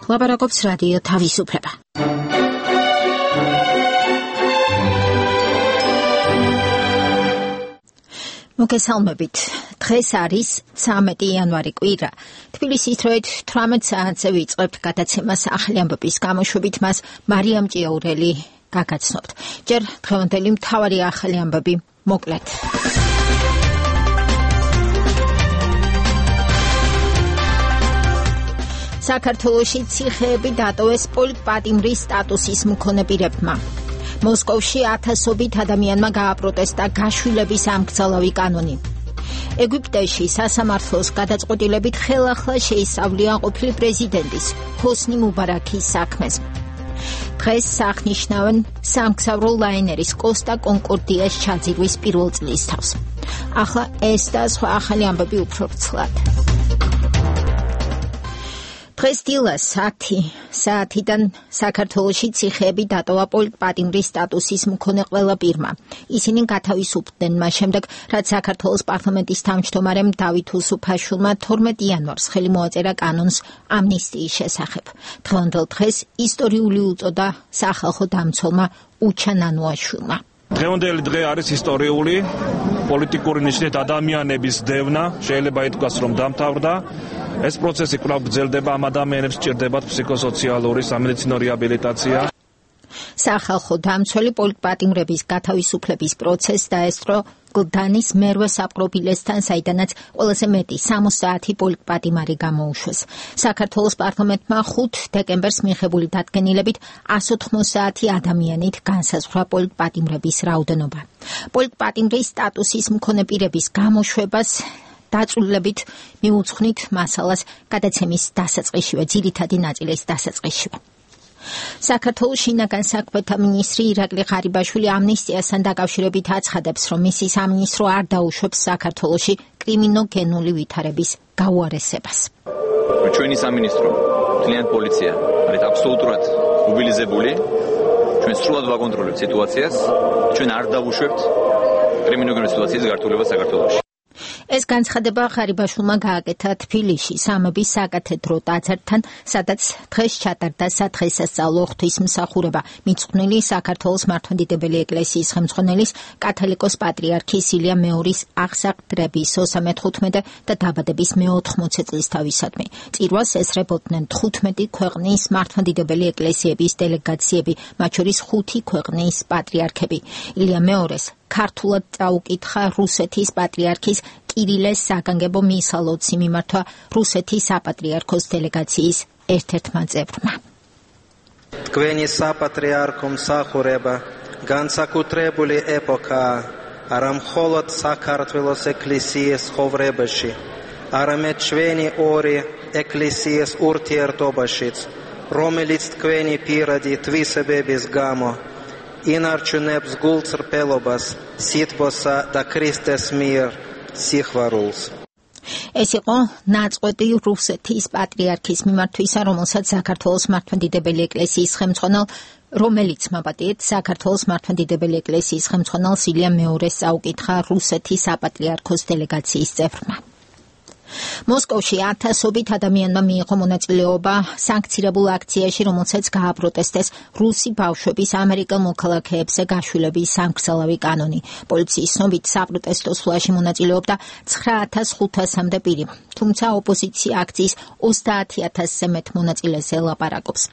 ლაპარაკობს რადიო თავისუფლება. მოგესალმებით. დღეს არის 13 იანვარი კვირა. თბილისის დროით 18 საათზე ვიწყებთ გადაცემას ახალი ამბების გამოშვებით, მას მარიამ ჭიაურელი გაგაცნობთ. ჯერ დღევანდელი მთავარი ახალი ამბები მოკლედ. საქართველოში ციხეები დატოვეს პოლიტპატიმრის სტატუსის მქონე პირებმა. მოსკოვში ათასობით ადამიანმა გააპროტესტა გაშვილების ამქცალავი კანონი. ეგვიპტეში სასამართლოს გადაწყვეტილებით ხელახლა შეისწავლია ყოფილი პრეზიდენტის ჰოსნი მუბარაქის საქმეს. დღეს აღნიშნავენ სამგზავრო ლაინერის კოსტა კონკორდიას ჩაძირვის პირველ წლისთავს. ახლა ეს და სხვა ახალი ამბები უფრო ვრცლად. დღეს დილას 10 საათიდან საქართველოში ციხეები დატოვა პოლიტპატიმრის სტატუსის მქონე ყველა პირმა. ისინი გათავისუფლდნენ მას შემდეგ, რაც საქართველოს პარლამენტის თავმჯდომარემ დავით უსუფაშვილმა 12 იანვარს ხელი მოაწერა კანონს ამნისტიის შესახებ. დღევანდელ დღეს ისტორიული უწოდა სახალხო დამცველმა უჩა ნანუაშვილმა. დღევანდელი დღე არის ისტორიული, პოლიტიკური ნიშნით ადამიანების დევნა, შეიძლება ითქვას, რომ დამთავრდა. ეს პროცესი კვლავ გრძელდება, ამ ადამიანებს სჭირდებათ ფსიქოსოციალური სამედიცინო რეაბილიტაცია. სახალხო დამცველი პოლიტპატიმრების გათავისუფლების პროცესს დაესწრო გლდანის მერვე საპყრობილესთან, საიდანაც ყველაზე მეტი 60 პოლიტპატიმარი გამოუშვეს. საქართველოს პარლამენტმა 5 დეკემბერს მიღებული დადგენილებით 180 ადამიანით განსაზღვრა პოლიტპატიმრების რაოდენობა. პოლიტპატიმრის სტატუსის მქონე პირების გამოშვებას დაწვრილებით მიუძღვნით მასალას გადაცემის დასაწყისშივე, ძირითადი ნაწილის დასაწყისშივე. საქართველოს შინაგან საქმეთა მინისტრი ირაკლი ღარიბაშვილი ამნისტიასთან დაკავშირებით აცხადებს, რომ მისი სამინისტრო არ დაუშვებს საქართველოში კრიმინოგენული ვითარების გაუარესებას. ჩვენი სამინისტრო, მთლიანი პოლიცია არის აბსოლუტურად მობილიზებული. ჩვენ სრულად ვაკონტროლებთ სიტუაციას. ჩვენ არ დავუშვებთ კრიმინოგენური სიტუაციის გართულებას საქართველოში. ეს განცხადება ღარიბაშვილმა გააკეთა თბილისში სამების საკათედრო ტაძართან, სადაც დღეს ჩატარდა სადღესასწაულო ღვთისმსახურება მიძღვნილი საქართველოს მართლმადიდებელი ეკლესიის ხელმძღვანელის კათოლიკოს პატრიარქის ილია მეორის აღსაყდრების 35 და დაბადების მე-80 წლისთავისადმი. წირვას ესწრებოდნენ 15 ქვეყნის მართლმადიდებელი ეკლესიების დელეგაციები, მათ შორის 5 ქვეყნის პატრიარქები. ილია მეორეს ქართულად წაუკითხა რუსეთის პატრიარქის კირილეს საგანგებო მისა ლოცი მიმართვა რუსეთის საპატრიარქოს დელეგაციის ერთ-ერთმა წევრმა. თქვენი საპატრიარქო მსახურება განსაკუთრებული ეპოქაა, არა მხოლოდ საქართველოს ეკლესიის ცხოვრებაში, არამედ ჩვენი ორი ეკლესიის ურთიერთობაშიც, რომელიც თქვენი პირადი თვისებების გამო ინარჩუნებს გულწრფელობას, სითბოსა და ქრისტეს მიერ სიხვალულს. ეს იყო ნაწყვეტი რუსეთის პატრიარქის მიმართვისა, რომელსაც საქართველოს მართლმადიდებელი ეკლესიის ხელმძღვანელ, რომელიც მაპატიეთ საქართველოს მართლმადიდებელი ეკლესიის ხელმძღვანელ ილია მეორეს წაუკითხა რუსეთის საპატრიარქოს დელეგაციის წევრმა. მოსკოვში ათასობით ადამიანმა მიიღო მონაწილეობა სანქცირებულ აქციაში, რომელსაც გააპროტესტეს რუსი ბავშვების ამერიკელ მოქალაქეებზე გაშვილების სამგზავრო კანონი. პოლიციის ცნობით საპროტესტო სვლაში მონაწილეობდა 9500-მდე პირი, თუმცა ოპოზიცია აქციის 30000-ზე მეტ მონაწილეს ელაპარაკობს.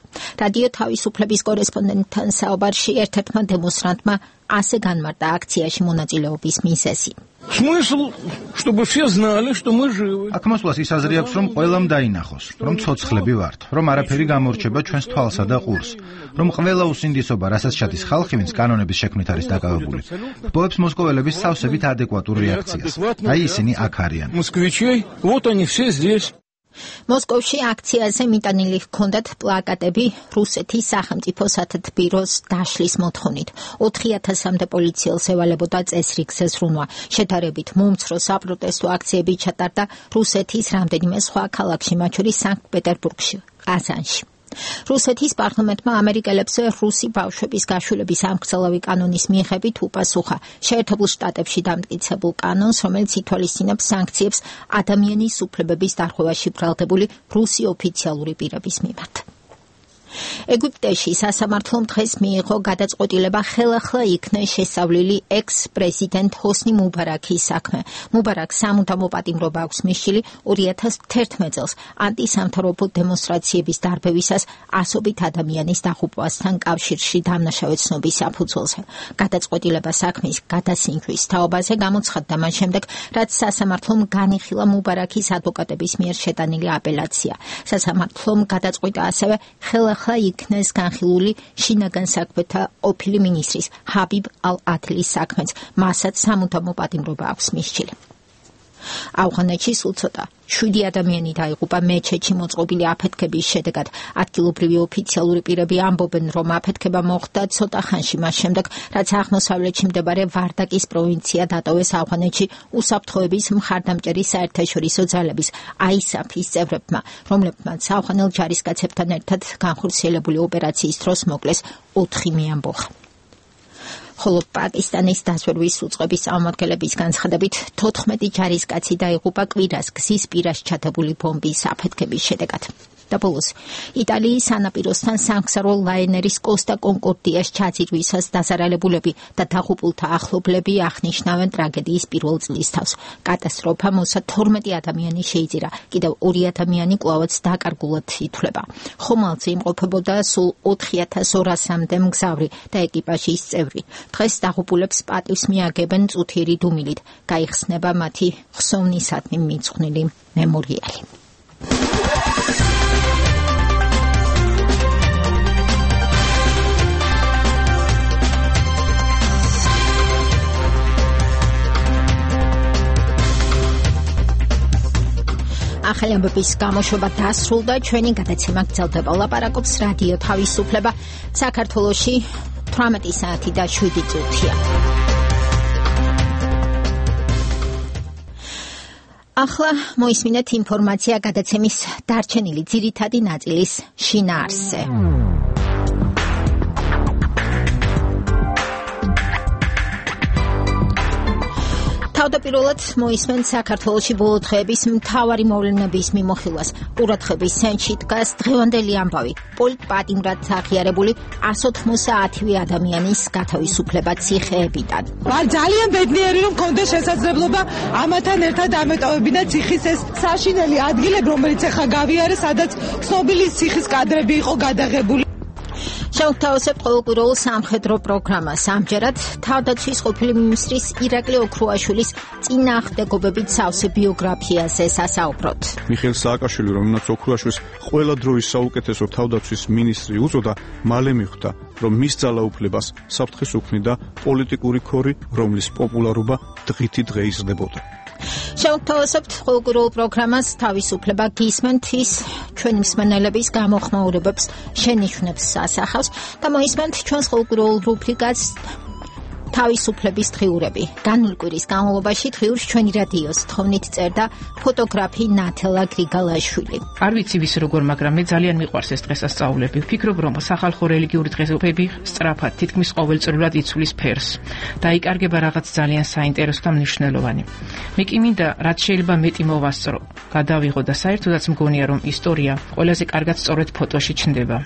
რადიო თავისუფლების კორესპონდენტთან საუბარში ერთ-ერთმა დემონსტრანტმა ასე განმარტა აქციაში მონაწილეობის მიზეზი. Смысл, чтобы все знали, что мы живы. აქ მოსვლას ის აზრი აქვს, რომ ყველამ დაინახოს, რომ ცოცხლები ვართ, რომ არაფერი გამორჩება ჩვენს თვალსა და ყურს, რომ ყველა უსინდისობა, რასაც ჩადის ხალხი, ვინც კანონების შექმნით არის დაკავებული, ჰპოვებს მოსკოველების სავსებით ადეკვატურ რეაქციას. აი ისინი აქ არიან. Москвичей, вот они все здесь. მოსკოვში აქციაზე მიტანილი ჰქონდათ პლაკატები რუსეთის სახელმწიფო სათათბიროს დაშლის მოთხოვნით. 4000-მდე პოლიციელს ევალებოდა წესრიგზე ზრუნვა. შედარებით მომცრო საპროტესტო აქციები ჩატარდა რუსეთის რამდენიმე სხვა ქალაქში, მათ შორის სანქტ-პეტერბურგში, ყაზანში. რუსეთის პარლამენტმა ამერიკელებს რუსი ბავშვების გაშვილების ამგზავრული კანონის მიხედვით უპასუხა შეერთებულ შტატებში დამტკიცებულ კანონს, რომელიც ითვალისწინებს სანქციებს ადამიანის უფლებების დარღვევაში ბრალდებული რუსი ოფიციალური პირების მიმართ. ეგვიპტეში სასამართლომ დღეს მიიღო გადაწყვეტილება ხელახლა იქნეს შესწავლილი ექს-პრეზიდენტ ჰოსნი მუბარაქის საქმე. მუბარაქს სამუდამო პატიმრობა აქვს მისცილი 2011 წელს ანტისამთავრობო დემონსტრაციების დარბევისას ასობით ადამიანის დაღუპვასთან კავშირში დამნაშავე ცნობის საფუძველზე. გადაწყვეტილება საქმის გადასინჯვის თაობაზე გამოცხადდა მას შემდეგ, რაც სასამართლომ განიხილა მუბარაქის ადვოკატების მიერ შეტანილი აპელაცია. სასამართლომ გადაწყვიტა ასევე ხელახლა იქნეს განხილული შინაგან საქმეთა ყოფილი მინისტრის ჰაბიბ ალ-ადლის საქმეც, მასაც სამუდამო პატიმრობა აქვს მისცილი. ავღანეთში სულ ცოტა 7 ადამიანი დაიღუპა მეჩეთში მოწყობილი აფეთქების შედეგად. ადგილობრივი ოფიციალური პირები ამბობენ, რომ აფეთქება მოხდა ცოტა ხანში მას შემდეგ, რაც აღმოსავლეთში მდებარე ვარდაკის პროვინცია დატოვეს ავღანეთში უსაფრთხოების მხარდამჭერი საერთაშორისო ძალების ISAF-ის წევრებმა, რომლებმაც ავღანელ ჯარისკაცებთან ერთად განხორციელებული ოპერაციის დროს მოკლეს 4 მეამბოხა. ხოლო პაკისტანის დაზვერვის უწყების წარმომადგენლების განცხადებით 14 ჯარისკაცი დაიღუპა კვირას გზის პირას ჩადებული ბომბის აფეთქების შედეგად. და ბოლოს იტალიის სანაპიროსთან სამგზავრო ლაინერის კოსტა კონკორდიას ჩაძირვისას დაზარალებულები და დაღუპულთა ახლობლები აღნიშნავენ ტრაგედიის პირველ წლის თავს. კატასტროფა მოსა 12 ადამიანი შეიძირა, კიდევ 2 ადამიანი კვლავაც დაკარგულად ითვლება. ხომალდზე იმყოფებოდა სულ 4200-მდე მგზავრი და ეკიპაჟის წევრი. დღეს დაღუპულებს პატივს მიაგებენ წუთიერი დუმილით. გაიხსნება მათი ხსოვნისადმი მიძღვნილი მემორიალი. ახალი ამბების გამოშვება დასრულდა, ჩვენი გადაცემა გრძელდება. ლაპარაკობს რადიო თავისუფლება. საქართველოში 18 საათი და 7 წუთია. ახლა მოისმინეთ ინფორმაცია გადაცემის დარჩენილი ძირითადი ნაწილის შინაარსზე. თავდაპირველად მოისმენთ საქართველოში ბოლო დღეების მთავარი მოვლენების მიმოხილვას. ყურადღების ცენტრში დგას დღევანდელი ამბავი. პოლიტპატიმრად აღიარებული 190 ადამიანის გათავისუფლება ციხეებიდან. ძალიან ბედნიერი რომ მქონდა შესაძლებლობა ამათან ერთად ამეტოვებინა ციხის ეს საშინელი ადგილები, რომელიც ახლა გავიარე, სადაც ცნობილი ციხის კადრები იყო გადაღებული. შევთავაზებთ ყოველკვირეულ სამხედრო პროგრამას. ამჯერად თავდაცვის ყოფილი მინისტრის ირაკლი ოქრუაშვილის წინააღმდეგობებით სავსე ბიოგრაფიაზე სასაუბროთ. მიხეილ სააკაშვილი, რომელმაც ოქრუაშვილს ყველა დროის საუკეთესო თავდაცვის მინისტრი უწოდა, მალე მიხვდა, რომ მის ძალაუფლებას საფრთხეს უქმნიდა პოლიტიკური ქორი, რომლის პოპულარობა დღითი დღე იზრდებოდა. შევთავაზებთ ყოველკვირეულ პროგრამას თავისუფლება გისმენთ ის ჩვენი მსმენელების გამოხმაურებებს შენიშვნებს ასახავს და მოისმენთ ჩვენს ყოველკვირეულ რუბრიკას თავისუფლების დღიურები. განული კვირის განმავლობაში დღიურს ჩვენი რადიოს თხოვნით წერდა ფოტოგრაფი ნათელა გრიგალაშვილი. არ ვიცი ვის როგორ, მაგრამ მე ძალიან მიყვარს ეს დღესასწაულები. ვფიქრობ, რომ სახალხო რელიგიური დღესასწაულები სწრაფად, თითქმის ყოველწლიურად იცვლის ფერს. დაიკარგება რაღაც ძალიან საინტერესო და მნიშვნელოვანი. მე კი მინდა, რაც შეიძლება მეტი მოვასწრო, გადავიღო და საერთოდაც მგონია, რომ ისტორია ყველაზე კარგად სწორედ ფოტოში ჩნდება.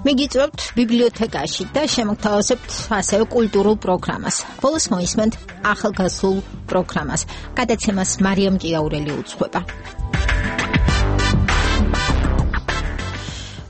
მიგიწევთ ბიბლიოთეკაში და შემოგთავაზებთ ასევე კულტურულ პროგრამას. ბოლოს მოისმენთ ახალგაზრდულ პროგრამას. გადაცემას მარიამ ჭიაურელი უძღვება.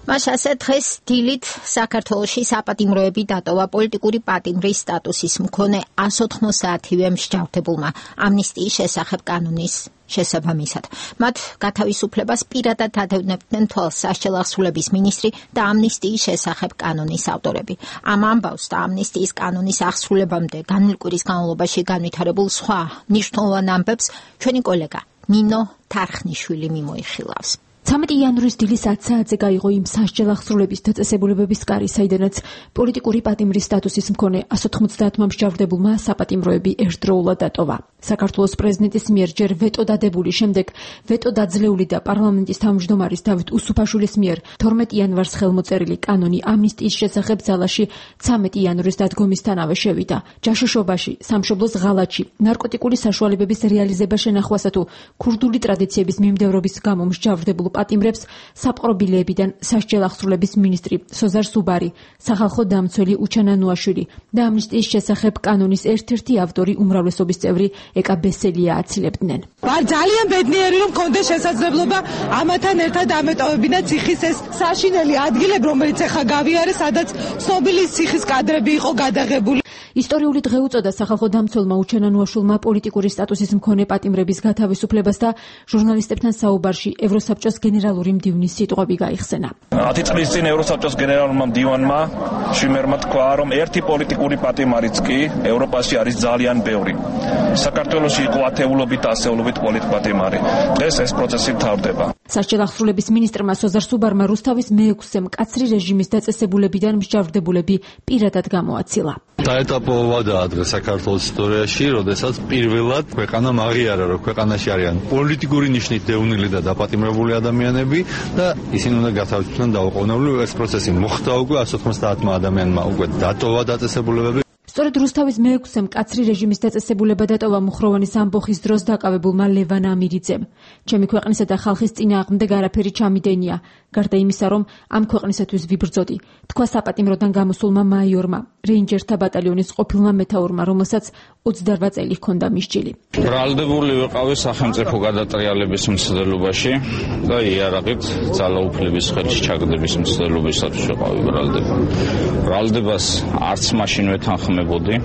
მაშასე დღეს დილით საქართველოში საპატიმროები დატოვა პოლიტიკური პატიმრის სტატუსის მქონე 190-ვე მსჯავრდებულმა ამნისტიის შესახებ კანონის შესაბამისად. მათ გათავისუფლებას პირადად ადევნებდნენ თვალს საშელახსრულების მინისტრი და ამნისტიის შესახებ კანონის ავტორები. ამ ამბავს და ამნისტიის კანონის აღსრულებამდე განული კვირის განმავლობაში განვითარებულ სხვა მნიშვნელოვან ამბებს ჩვენი კოლეგა ნინო თარხნიშვილი მიმოიხილავს. 13 იანვრის დილის 10 საათზე გაიღო იმ სასჯელახსრულების დაწესებულებების კარი, საიდანაც პოლიტიკური პატიმრის სტატუსის მქონე 190 მსჯავრდებულმა საპატიმროები ერთდროულად დატოვა. საქართველოს პრეზიდენტის მიერ ჯერ ვეტო დადებული, შემდეგ ვეტო დაძლეული და პარლამენტის თავმჯდომარის დავით უსუფაშვილის მიერ 12 იანვარს ხელმოწერილი კანონი ამნისტიის შესახებ ძალაში 13 იანვრის დადგომისთანავე შევიდა. ჯაშუშობაში, სამშობლოს ღალატში, ნარკოტიკული საშუალებების რეალიზება შენახვასა თუ ქურდული ტრადიციების მიმდევრობის გამო მსჯავრდებულ პატიმრებს საპყრობილეებიდან სასჯელ აღსრულების მინისტრი სოზარ სუბარი, სახალხო დამცველი უჩანა ნუაშვილი და ამნისტიის შესახებ კანონის ერთ-ერთი ავტორი უმრავლესობის წევრი ეკა ბესელია აცილებდნენ. ვარ ძალიან ბედნიერი რომ მქონდეს შესაძლებლობა ამათან ერთად ამეტოვებინა ციხის ეს საშინელი ადგილები, რომელიც ახლა გავიარე, სადაც ცნობილი ციხის კადრები იყო გადაღებული. ისტორიული დღე უწოდა სახალხო დამცველმა უჩანა ნუაშვილმა პოლიტიკური სტატუსის მქონე პატიმრების გათავისუფლებას და ჟურნალისტებთან საუბარში ევროსაბჭოს გენერალური მდივნის სიტყვები გაიხსენა. 10 წლის წინ ევროსაბჭოს გენერალურმა მდივანმა შვიმერმა თქვა, რომ ერთი პოლიტიკური პატიმარიც კი ევროპაში არის ძალიან ბევრი. საქართველოში იყო ათეულობით, ასეულობით პოლიტპატიმარი. დღეს ეს პროცესი მთავრდება. სასჯელ აღსრულების მინისტრმა სოზარ სუბარმა რუსთავის მეექვსე მკაცრი რეჟიმის დაწესებულებიდან მსჯავრდებულები პირადად გამოაცილა. დაეტაპოვადაა დღეს საქართველოს ისტორიაში, როდესაც პირველად ქვეყანა აღიარა, რომ ქვეყანაში არიან პოლიტიკური ნიშნით დევნილი და დაპატიმრებული ადამიანები და ისინი უნდა გათავისუფლდნენ დაუყოვნებლივ. ეს პროცესი მოხდა უკვე 190 ადამიანმა უკვე დატოვა დაწესებულებები. სწორედ რუსთავის მეექვსე მკაცრი რეჟიმის დაწესებულება დატოვა მუხროვანის ამბოხის დროს დაკავებულმა ლევან ამირიძემ. ჩემი ქვეყნისა და ხალხის წინააღმდეგ არაფერი ჩამიდენია, გარდა იმისა, რომ ამ ქვეყნისათვის ვიბრძოდი, თქვა საპატიმროდან გამოსულმა მაიორმა, რეინჯერთა ბატალიონის ყოფილმა მეთაურმა, რომელსაც 28 წელი ჰქონდა მისჯილი. ბრალდებული ვიყავი სახელმწიფო გადატრიალების მცდელობაში და იარაღით ძალაუფლების ხელში ჩაგდების მცდელობისათვის ვიყავი ბრალდებული. ბრალდებას არც მაშინ ვეთანხმებოდი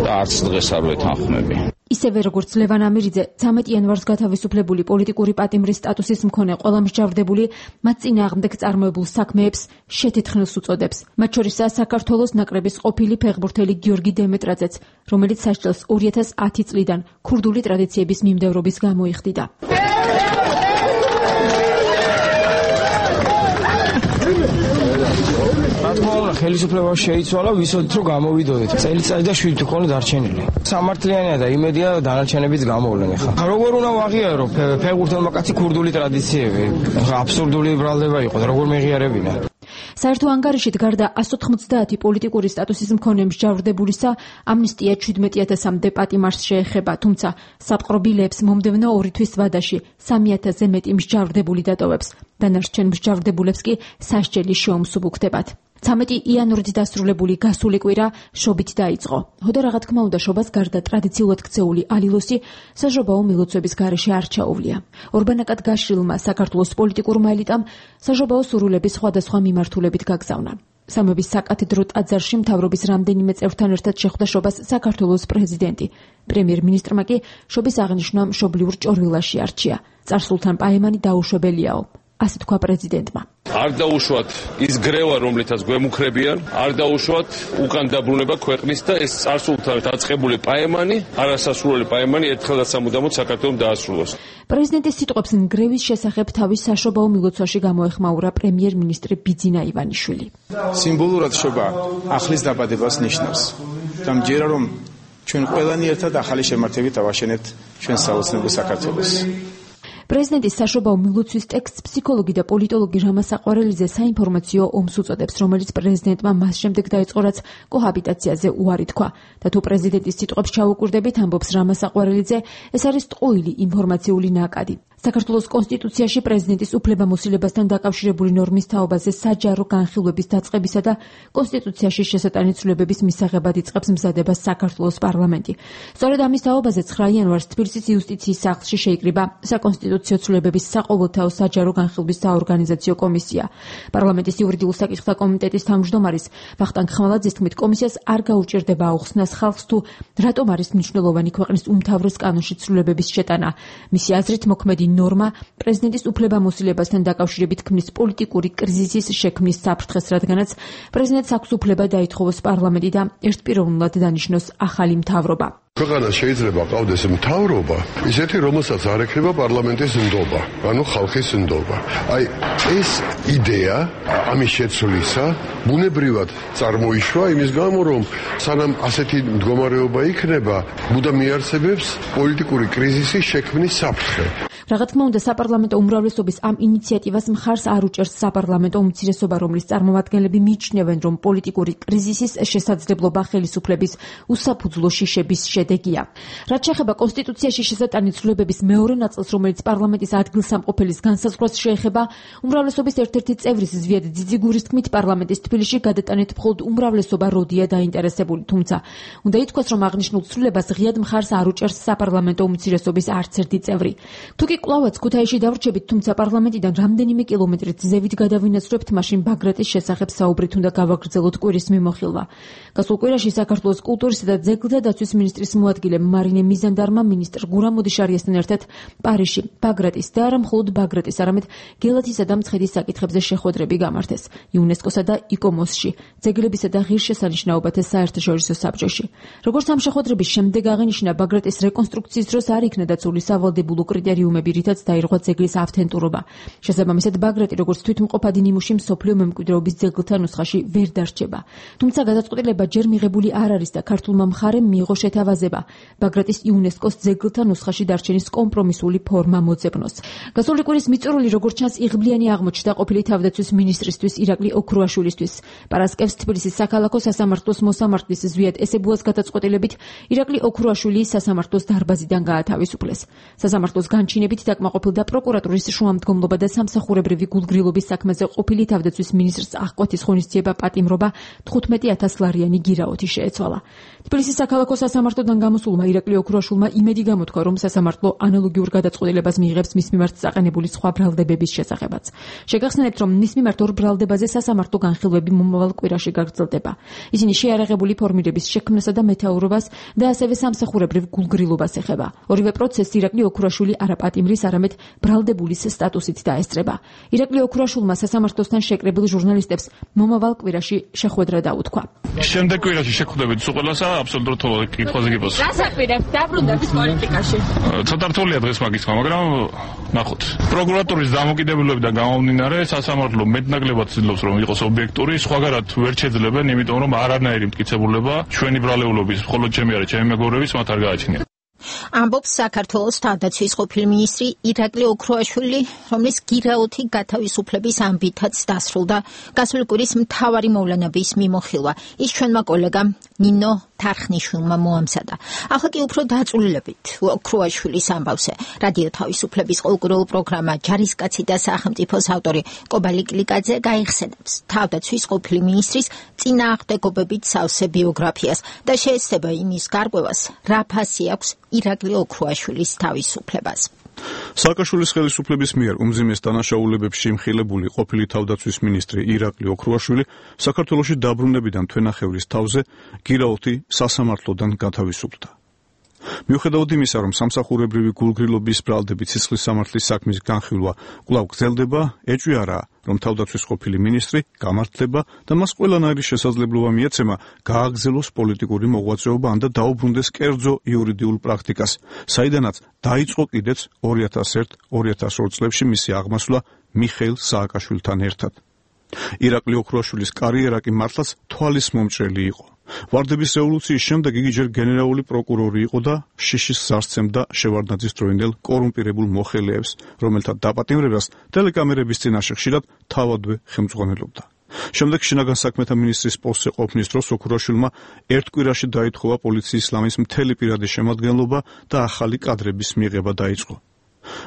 და არც დღეს არ ვეთანხმები. ისევე როგორც ლევან ამირიძე 13 იანვარს გათავისუფლებული პოლიტიკური პატიმრის სტატუსის მქონე ყველა მსჯავრდებული მათ წინააღმდეგ წარმოებულ საქმეებს შეთითხნილს უწოდებს. მათ შორისაა საქართველოს ნაკრების ყოფილი ფეხბურთელი გიორგი დემეტრაძეც, რომელიც სასჯელს 2010 წლიდან ქურდული ტრადიციების მიმდევრობის გამო იხდიდა. ხელისუფლება შეიცვალა, ვიცოდით რომ გამოვიდოდეთ. წელიწადი და 7 თქონი დარჩენილი. სამართლიანია და იმედია დანარჩენებიც გამოვლენ ახლა. როგორ უნდა ვაღიარო ფეხბურთელმა კაცი ქურდული ტრადიციები? ახლა აბსურდული ბრალდება იყო და როგორ მეღიარებინა? საერთო ანგარიშით გარდა 190 პოლიტიკური სტატუსის მქონე მსჯავრდებულისა, ამნისტია 17,000-მდე პატიმარს შეეხება, თუმცა საპყრობილეებს მომდევნო 2 თვის ვადაში 3,000-ზე მეტი მსჯავრდებული დატოვებს. დანარჩენ მსჯავრდებულებს კი სასჯელი შეუმსუბუქდებათ. 13 იანვრით დასრულებული გასული კვირა შობით დაიწყო. ჰოდა რა თქმა უნდა შობას გარდა ტრადიციულად ქცეული ალილოსი საჟობაო მილოცვების გარეშე არ ჩაუვლია. ორბანაკად გაშლილმა საქართველოს პოლიტიკურმა ელიტამ საჟობაო სურვილების სხვადასხვა მიმართულებით გაგზავნა. სამების საკათედრო ტაძარში მთავრობის რამდენიმე წევრთან ერთად შეხვდა შობას საქართველოს პრეზიდენტი. პრემიერ-მინისტრმა კი შობის აღნიშვნა მშობლიურ ჭორვილაში არჩია. წარსულთან პაემანი დაუშვებელიაო. ასე თქვა პრეზიდენტმა. არ დაუშვათ ის გრევა, რომლითაც გვემუქრებიან, არ დაუშვათ უკან დაბრუნება ქვეყნის და ეს წარსულთან დაწყებული პაემანი, არასასურველი პაემანი ერთხელ და სამუდამოდ საქართველოს დაასრულოს. პრეზიდენტის სიტყვებს ნგრევის შესახებ თავის საშობაო მილოცვაში გამოეხმაურა პრემიერ-მინისტრი ბიძინა ივანიშვილი. სიმბოლურად შობა ახლის დაბადებას ნიშნავს. და მჯერა რომ ჩვენ ყველანი ერთად ახალი შემართებით ავაშენებთ ჩვენ საოცნებო საქართველოს. პრეზიდენტის საშობაო მილოცვის ტექსტს ფსიქოლოგი და პოლიტოლოგი რამა საყვარელიძე საინფორმაციო ომს უწოდებს, რომელიც პრეზიდენტმა მას შემდეგ დაიწყო, რაც კოჰაბიტაციაზე უარი თქვა. და თუ პრეზიდენტის სიტყვებს ჩაუკვირდებით, ამბობს რამა საყვარელიძე, ეს არის ტყუილი ინფორმაციული ნაკადი. საქართველოს კონსტიტუციაში პრეზიდენტის უფლებამოსილებასთან დაკავშირებული ნორმის თაობაზე საჯარო განხილვების დაწყებისა და კონსტიტუციაში შესატანი ცვლილებების მისაღებად იწყებს მზადებას საქართველოს პარლამენტი. სწორედ ამის თაობაზე 9 იანვარს თბილისის იუსტიციის სახლში შეიკრიბა საკონსტიტუციო ცვლილებების საყოველთაო საჯარო განხილვის საორგანიზაციო კომისია. პარლამენტის იურიდიულ საკითხთა კომიტეტის თავმჯდომარის ვახტანგ ხმალაძის თქმით, კომისიას არ გაუჭირდება აუხსნას ხალხს თუ რატომ არის მნიშვნელოვანი ქვეყნის უმთავრეს კანონში ცვლილებების შეტანა. მისი აზრით მოქმედი ნორმა პრეზიდენტის უფლებამოსილებასთან დაკავშირებით ქმნის პოლიტიკური კრიზისის შექმნის საფრთხეს, რადგანაც პრეზიდენტს აქვს უფლება დაითხოვოს პარლამენტი და ერთპიროვნულად დანიშნოს ახალი მთავრობა. ქვეყანას შეიძლება ყავდეს მთავრობა, ისეთი, რომელსაც არ ექნება პარლამენტის ნდობა, ანუ ხალხის ნდობა. აი, ეს იდეა ამის შეცვლისა ბუნებრივად წარმოიშვა იმის გამო, რომ სანამ ასეთი მდგომარეობა იქნება, მუდამ მიარსებებს პოლიტიკური კრიზისის შექმნის საფრთხე. Რა თქმა უნდა, საპარლამენტო უმრავლესობის ამ ინიციატივას მხარს არ უჭერს საპარლამენტო უმცირესობა, რომლის წარმომადგენლები მიიჩნევენ, რომ პოლიტიკური კრიზისის შესაძლებლობა ხელისუფლების უსაფუძვლო შიშების შედეგია. რაც შეეხება კონსტიტუციაში შესატანი ცვლილებების მეორე ნაწილს, რომელიც პარლამენტის ადგილსამყოფელის განსაზღვრას შეეხება, უმრავლესობის ერთ-ერთი წევრის ზვიად ძიძიგურის თქმით, პარლამენტის თბილისში გადატანით მხოლოდ უმრავლესობა როდია დაინტერესებული, თუმცა უნდა ითქვას, რომ აღნიშნულ ცვლილებას ღიად მხარს არ უჭერს საპარლამენტო უმცირესობის არც ერთი წევრი. თუკი კვლავაც ქუთაისში დავრჩებით, თუმცა პარლამენტიდან რამდენიმე კილომეტრით ზევით გადავინაცვლებთ, მაშინ ბაგრატის შესახებ საუბრით უნდა გავაგრძელოთ კვირის მიმოხილვა. გასულ კვირაში საქართველოს კულტურისა და ძეგლთა დაცვის მინისტრის მოადგილე მარინე მიზანდარმა მინისტრ გურამ მოდიშარიასთან ერთად პარიზში, ბაგრატის და არა მხოლოდ ბაგრატის, არამედ გელათისა და მცხეთის საკითხებზე შეხვედრები გამართეს იუნესკოსა და იკომოსში, ძეგლებისა და ღირსშესანიშნაობათა საერთაშორისო საბჭოში. როგორც ამ შეხვედრების შემდეგ აღინიშნა, ბაგრატის რეკონსტრუქციის დროს არ იქნა დაცული სავალდებულო კრიტერიუმები, რითაც დაირღვა ძეგლის ავთენტურობა. შესაბამისად, ბაგრატი როგორც თვითმყოფადი ნიმუში მსოფლიო მემკვიდრეობის ძეგლთა ნუსხაში ვერ დარჩება. თუმცა გადაწყვეტილება ჯერ მიღებული არ არის და ქართულმა მხარემ მიიღო შეთავაზება ბაგრატის იუნესკოს ძეგლთა ნუსხაში დარჩენის კომპრომისული ფორმა მოძებნოს. გასული კვირის მიწურული, როგორც ჩანს, იღბლიანი აღმოჩნდა ყოფილი თავდაცვის მინისტრისთვის ირაკლი ოქრუაშვილისთვის. პარასკევს თბილისის საქალაქო სასამართლოს მოსამართლის ზვიად ესებუას გადაწყვეტილებით ირაკლი ოქრუაშვილი სასამართლოს დარბაზიდან გაათავისუფლეს. სასამართლოს განჩინებით დაკმაყოფილდა პროკურატურის შუამდგომლობა და სამსახურებრივი გულგრილობის საქმეზე ყოფილი თავდაცვის მინისტრს აღკვეთის ღონისძიება პატიმრობა 15,000 ლარიანი გირაოთი შეეცვალა. თბილისის საქალაქო სასამართლოდან გამოსულმა ირაკლი ოქრუაშვილმა იმედი გამოთქვა, რომ სასამართლო ანალოგიურ გადაწყვეტილებას მიიღებს მის მიმართ საყენებული სხვა ბრალდებების შესახებაც. შეგახსენებთ, რომ მის მიმართ ორ ბრალდებაზე სასამართლო განხილვები მომავალ კვირაში გაგრძელდება. ისინი შეარაღებული ფორმირების შექმნასა და მეთაურობას და ასევე სამსახურებრივ გულგრილობას ეხება. ორივე პროცესს ირაკლი ოქრუაშვილი არა პატიმრის, არამედ ბრალდებულის სტატუსით დაესწრება. ირაკლი ოქრუაშვილმა სასამართლოსთან შეკრებილ ჟურნალისტებს მომავალ კვირაში შეხვედრა დაუთქვა. შემდეგ კვირაში შეხვდებით უყოლასა აბსოლუტურად კითხვაზე გიბოს. რას აპირებთ დაბრუნდებით პოლიტიკაში? ცოტა რთულია დღეს მაგისმა, მაგრამ ნახოთ. პროკურატურის დამოკიდებულებიდან გამომდინარე, სასამართლო მეტნაკლებად ცდილობს, რომ იყოს ობიექტური, სხვაგანად ვერ შეძლებენ, იმიტომ რომ არანაირი მტკიცებულება ჩვენი ბრალეულობის, მხოლოდ ჩემი არა, ჩემი მეგობრების მათ არ გააჩნია. ამბობს საქართველოს თავდაცვის ყოფილი მინისტრი ირაკლი ოქრუაშვილი, რომლის გირაოთი გათავისუფლების ამბითაც დასრულდა გასული კვირის მთავარი მოვლენების მიმოხილვა. ის ჩვენმა კოლეგამ ნინო თარხნიშვილმა მოამზადა. ახლა კი უფრო დაწვრილებით ოქრუაშვილის ამბავზე. რადიო თავისუფლების ყოველკვირეულ პროგრამა ჯარისკაცი და სახელმწიფოს ავტორი კობალი კლიკაძე გაიხსენებს თავდაცვის ყოფილი მინისტრის წინააღმდეგობებით სავსე ბიოგრაფიას და შეეცდება იმის გარკვევას, რა ფასი აქვს ირაკლი ოქრუაშვილის თავისუფლებას. სააკაშვილის ხელისუფლების მიერ უმძიმეს დანაშაულებებში იმხილებული ყოფილი თავდაცვის მინისტრი ირაკლი ოქრუაშვილი საქართველოში დაბრუნებიდან თვენახევრის თავზე გირაოთი სასამართლოდან გათავისუფლდა. მიუხედავად იმისა, რომ სამსახურებრივი გულგრილობის ბრალდებით სისხლის სამართლის საქმის განხილვა კვლავ გრძელდება, ეჭვი არაა, რომ თავდაცვის ყოფილი მინისტრი გამართლება და მას ყველანაირი შესაძლებლობა მიეცემა გააგრძელოს პოლიტიკური მოღვაწეობა ან და დაუბრუნდეს კერძო იურიდიულ პრაქტიკას, საიდანაც დაიწყო კიდეც 2001-2002 წლებში მისი აღმასვლა მიხეილ სააკაშვილთან ერთად. ირაკლი ოქრუაშვილის კარიერა კი მართლაც თვალის მომჭრელი იყო. ვარდების რევოლუციის შემდეგ იგი ჯერ გენერალური პროკურორი იყო და შიშის სარცემდა შევარდნაძის დროინდელ კორუმპირებულ მოხელეებს, რომელთა დაპატიმრებას ტელეკამერების წინაშე ხშირად თავადვე ხელმძღვანელობდა. შემდეგ შინაგან საქმეთა მინისტრის პოსტზე ყოფნის დროს ოქრუაშვილმა ერთ კვირაში დაითხოვა პოლიციის ლამის მთელი პირადი შემადგენლობა და ახალი კადრების მიღება დაიწყო.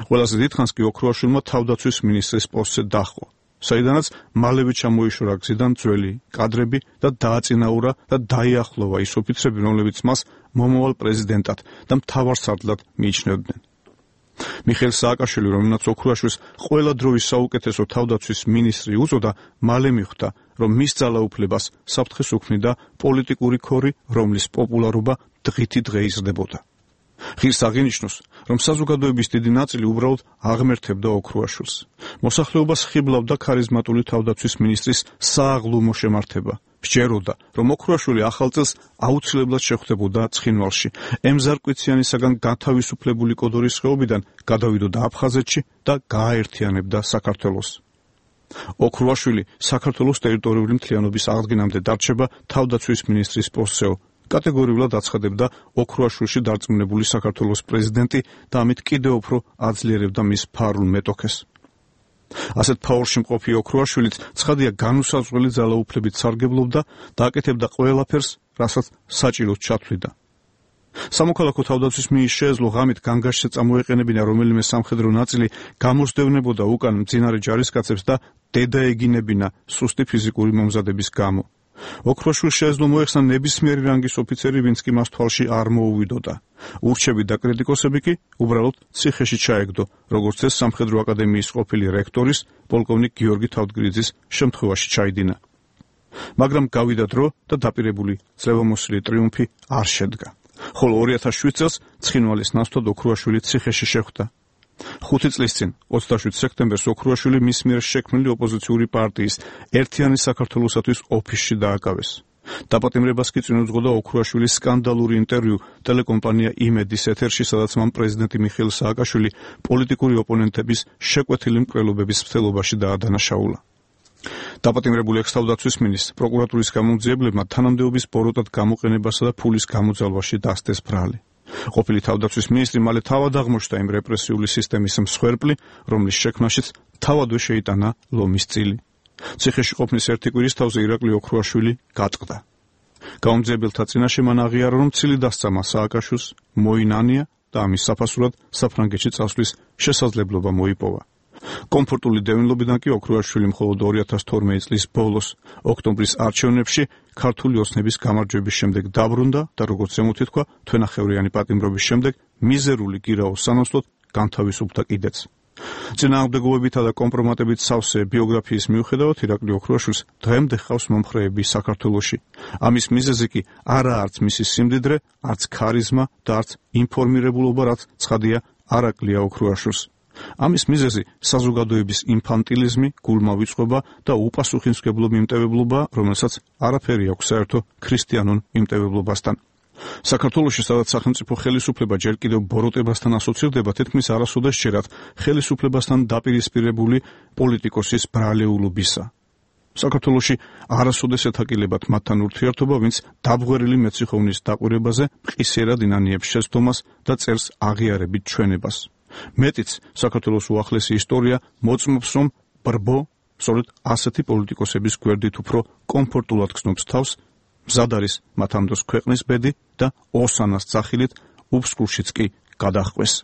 ყველაზე დიდხანს კი ოქრუაშვილმა თავდაცვის მინისტრის პოსტზე დაჰყო, საიდანაც მალევე ჩამოიშორა გზიდან ძველი კადრები და დააწინაურა და დაიახლოვა ის ოფიცრები, რომლებიც მას მომავალ პრეზიდენტად და მთავარ სარდლად მიიჩნევდნენ. მიხეილ სააკაშვილი, რომელმაც ოქრუაშვილს ყველა დროის საუკეთესო თავდაცვის მინისტრი უწოდა, მალე მიხვდა, რომ მის ძალაუფლებას საფრთხეს უქმნიდა პოლიტიკური ქორი, რომლის პოპულარობა დღითი დღე იზრდებოდა. ღირს აღინიშნოს, რომ საზოგადოების დიდი ნაწილი უბრალოდ აღმერთებდა ოქრუაშვილს. მოსახლეობას ხიბლავდა ქარიზმატული თავდაცვის მინისტრის სააღლუმო შემართება. სჯეროდა, რომ ოქრუაშვილი ახალ წელს აუცილებლად შეხვდებოდა ცხინვალში, ემზარკვიციანისაგან გათავისუფლებული კოდორის ხეობიდან გადავიდოდა აფხაზეთში და გააერთიანებდა საქართველოს. ოქრუაშვილი საქართველოს ტერიტორიული მთლიანობის აღდგენამდე დარჩება თავდაცვის მინისტრის პოსტზეო. კატეგორიულად აცხადებდა ოქრუაშვილში დარწმუნებული საქართველოს პრეზიდენტი და ამით კიდევ უფრო აძლიერებდა მის ფარულ მეტოქეს. ასეთ ფაურში მყოფი ოქრუაშვილიც ცხადია განუსაზღვრელი ძალაუფლებით სარგებლობდა და აკეთებდა ყველაფერს, რასაც საჭიროდ ჩათვლიდა. სამოქალაქო თავდაცვის მინის შეეძლო ღამით განგაშზე წამოეყენებინა რომელიმე სამხედრო ნაწილი გამოსდევნებოდა უკან მძინარე ჯარისკაცებს და დედაეგინებინა სუსტი ფიზიკური მომზადების გამო. ოქრუაშვილს შეეძლო მოეხსნა ნებისმიერი რანგის ოფიცერი, ვინც კი მას თვალში არ მოუვიდოდა. ურჩები და კრიტიკოსები კი უბრალოდ ციხეში ჩაეგდო, როგორც ეს სამხედრო აკადემიის ყოფილი რექტორის პოლკოვნიკ გიორგი თავდგრიძის შემთხვევაში ჩაიდინა. მაგრამ გავიდა დრო და დაპირებული ძლევამოსილი ტრიუმფი არ შედგა. ხოლო 2007 წელს ცხინვალის ნაცვლად ოქრუაშვილი ციხეში შეხვდა. 5 წლის წინ 27 სექტემბერს ოქრუაშვილი მის მიერ შექმნილი ოპოზიციური პარტიის ერთიანი საქართველოსათვის ოფისში დააკავეს. დაპატიმრებას კი წინ უძღოდა ოქრუაშვილის სკანდალური ინტერვიუ ტელეკომპანია იმედის ეთერში, სადაც მან პრეზიდენტი მიხეილ სააკაშვილი პოლიტიკური ოპონენტების შეკვეთილი მკვლელობების მცდელობაში დაადანაშაულა. დაპატიმრებული ექს-თავდაცვის მინისტრს პროკურატურის გამომძიებლებმა თანამდებობის ბოროტად გამოყენებასა და ფულის გამოძალვაში დასდეს ბრალი. ყოფილი თავდაცვის მინისტრი მალე თავად აღმოჩნდა იმ რეპრესიული სისტემის მსხვერპლი, რომლის შექმნაშიც თავადვე შეიტანა ლომის წილი. ციხეში ყოფნის ერთი კვირის თავზე ირაკლი ოქრუაშვილი გაწყდა. გამომძიებელთა წინაშე მან აღიარა, რომ ცილი დასწამა სააკაშვილს, მოინანია და ამის საფასურად საფრანგეთში წასვლის შესაძლებლობა მოიპოვა. კომფორტული დევნილობიდან კი ოქრუაშვილი მხოლოდ 2012 წლის ბოლოს ოქტომბრის არჩევნებში ქართული ოცნების გამარჯვების შემდეგ დაბრუნდა და როგორც ზემოთი თქვა, თვენახევრიანი პატიმრობის შემდეგ მიზერული გირაოს სანაცვლოდ განთავისუფლდა კიდეც. წინააღმდეგობებითა და კომპრომატებით სავსე ბიოგრაფიის მიუხედავად ირაკლი ოქრუაშვილს დღემდე ჰყავს მომხრეები საქართველოში. ამის მიზეზი კი არა არც მისი სიმდიდრე, არც ქარიზმა და არც ინფორმირებულობა, რაც ცხადია არ აკლია ოქრუაშვილს. ამის მიზეზი საზოგადოების ინფანტილიზმი, გულმავიწყობა და უპასუხისმგებლო მიმტევებლობა, რომელსაც არაფერი აქვს საერთო ქრისტიანულ მიმტევებლობასთან. საქართველოში, სადაც სახელმწიფო ხელისუფლება ჯერ კიდევ ბოროტებასთან ასოცირდება, თითქმის არასოდეს შეერთ ხელისუფლებასთან დაპირისპირებული პოლიტიკოსის ბრალეულობისა. საქართველოში არასოდეს ეთაკილებათ მათთან ურთიერთობა, ვინც დაბღვერილი მეციხოვნის დაკვირვებაზე მყისიერად ინანიებს შეცდომას და წერს აღიარებით ჩვენებას. მეტიც, საქართველოს უახლესი ისტორია მოწმობს, რომ ბრბო სწორედ ასეთი პოლიტიკოსების გვერდით უფრო კომფორტულად გრძნობს თავს, მზად არის მათ ამ დროს ქვეყნის ბედი და ოსანას ძახილით უბსკურშიც კი გადახვეს.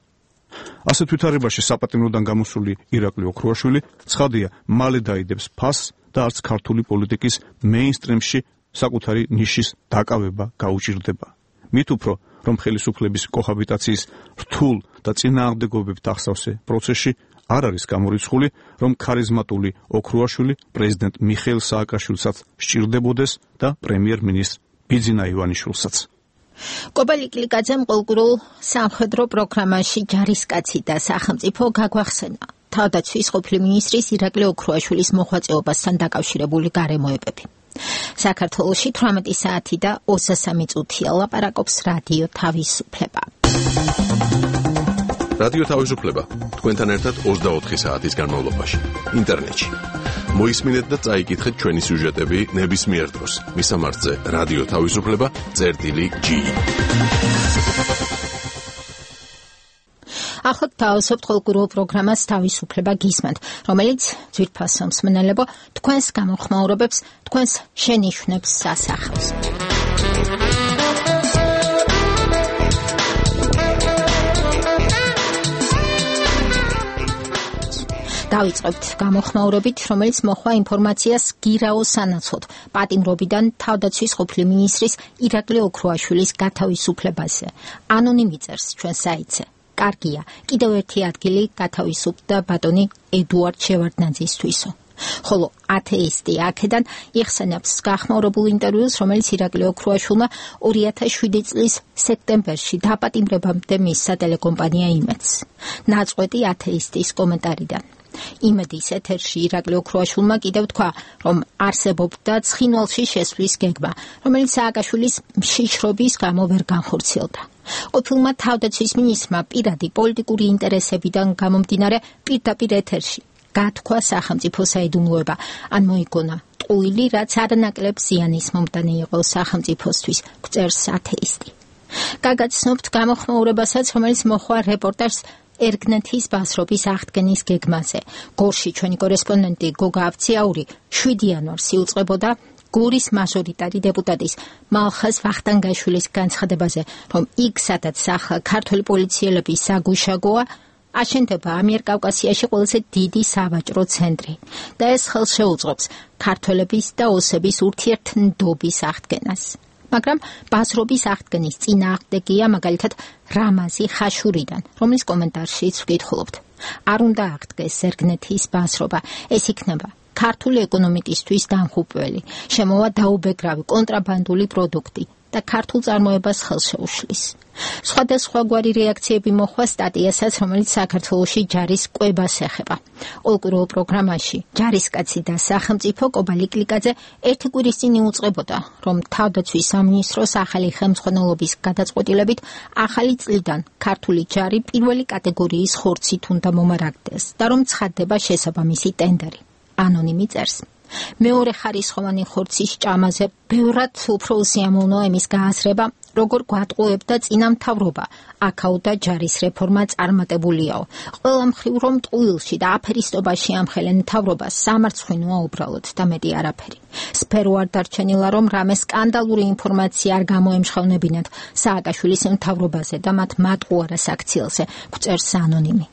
ასეთ ვითარებაში საპატიმროდან გამოსული ირაკლი ოქრუაშვილი ცხადია მალე დაიდებს ფასს და არც ქართული პოლიტიკის მეინსტრიმში საკუთარი ნიშის დაკავება გაუჭირდება. მით უფრო, რომ ხელისუფლების კოჰაბიტაციის რთულ და წინააღმდეგობებით ახსავსე პროცესში არ არის გამორიცხული, რომ ქარიზმატული ოქრუაშვილი პრეზიდენტ მიხეილ სააკაშვილსაც სჭირდებოდეს და პრემიერ-მინისტრ ბიძინა ივანიშვილსაც. კობალი კლიკაძემ ყოლკურულ სამხედრო პროგრამაში ჯარისკაცი და სახელმწიფო გაგვახსენა თავდაცვის ყოფილი მინისტრის ირაკლი ოქრუაშვილის მოღვაწეობასთან დაკავშირებული გარემოებები. საქართველოში 18 საათი და 23 წუთია ლაპარაკობს რადიო თავისუფლება. რადიო თავისუფლება თქვენთან ერთად 24 საათის განმავლობაში ინტერნეტში. მოისმინეთ და წაიკითხეთ ჩვენი სიუჟეტები ნებისმიერ დროს. მისამართზე რადიო თავისუფლება.gi. ახლა თავისუფლ ხოლმე პროგრამას თავისუფლება გისმენთ, რომელიც ძვირფასო მსმენელებო თქვენს გამოხმაურებებს, თქვენს შენიშვნებს ასახავს. დავიწყებთ გამოხმაურებით, რომელიც მოხვა ინფორმაციას გირაოს სანაცვლოდ პატიმრობიდან თავდაცვის ყოფილი მინისტრის ირაკლი ოქრუაშვილის გათავისუფლებაზე. ანონიმი წერს ჩვენ საიტზე. კარგია, კიდევ ერთი ადგილი გათავისუფლდა ბატონი ედუარდ შევარდნაძისთვისო. ხოლო ათეისტი აქედან იხსენებს გახმაურებულ ინტერვიუს, რომელიც ირაკლი ოქრუაშვილმა 2007 წლის სექტემბერში დაპატიმრებამდე მისცა ტელეკომპანია იმედს. ნაწყვეტი ათეისტის კომენტარიდან. იმედის ეთერში ირაკლი ოქრუაშვილმა კიდევ თქვა, რომ არსებობდა ცხინვალში შესვლის გეგმა, რომელიც სააკაშვილის მშიშრობის გამო ვერ განხორციელდა. ყოფილმა თავდაცვის მინისტრმა პირადი პოლიტიკური ინტერესებიდან გამომდინარე პირდაპირ ეთერში გათქვა სახელმწიფო საიდუმლოება, ან მოიგონა ტყუილი, რაც არანაკლებ ზიანის მომტანი იყო სახელმწიფოსთვის, გვწერს ათეისტი. გაგაცნობთ გამოხმაურებასაც, რომელიც მოხვა რეპორტაჟს ერგნეთის ბაზრობის აღდგენის გეგმაზე. გორში ჩვენი კორესპონდენტი გოგა ავციაური 7 იანვარს იუწყებოდა გურის მაჟორიტარი დეპუტატის მალხაზ ვახტანგაშვილის განცხადებაზე, რომ იქ, სადაც ახლა ქართული პოლიციელები საგუშაგოა, აშენდება ამიერკავკასიაში ყველაზე დიდი სავაჭრო ცენტრი და ეს ხელს შეუწყობს ქართველების და ოსების ურთიერთნდობის აღდგენას. მაგრამ ბაზრობის აღდგენის წინააღმდეგია მაგალითად რამაზი ხაშურიდან, რომლის კომენტარშიც ვკითხულობთ. არ უნდა აღდგეს ერგნეთის ბაზრობა, ეს იქნება ქართული ეკონომიკისთვის დამხუპველი, შემოვა დაუბეგრავი კონტრაბანდული პროდუქტი და ქართულ წარმოებას ხელს შეუშლის. სხვადასხვაგვარი რეაქციები მოხდა სტატიასაც, რომელიც საქართველოში ჯარის კვებას ეხება. ყოველკვირეულ პროგრამაში ჯარისკაცი და სახელმწიფო კობალი კლიკაძე ერთი კვირის წინ იუწყებოდა, რომ თავდაცვის სამინისტროს ახალი ხელმძღვანელობის გადაწყვეტილებით ახალი წლიდან ქართული ჯარი პირველი კატეგორიის ხორცით უნდა მომარაგდეს და რომ ცხადდება შესაბამისი ტენდერი. ანონიმი წერს. მეორე ხარისხოვანი ხორცის ჭამაზე ბევრად უფრო უსიამოვნოა იმის გააზრება, როგორ გვატყუებდა წინამთავრობა, აქაუდა ჯარის რეფორმა წარმატებულიაო. ყველა მხრივ რომ ტყუილში და აფერისტობაში ამხელენ მთავრობას სამარცხვინოა უბრალოდ და მეტი არაფერი. სფერო არ დარჩენილა, რომ რამე სკანდალური ინფორმაცია არ გამოემშოვნებინათ სააკაშვილის მთავრობაზე და მათ მატყუარას აქციელზე, გვწერს ანონიმი.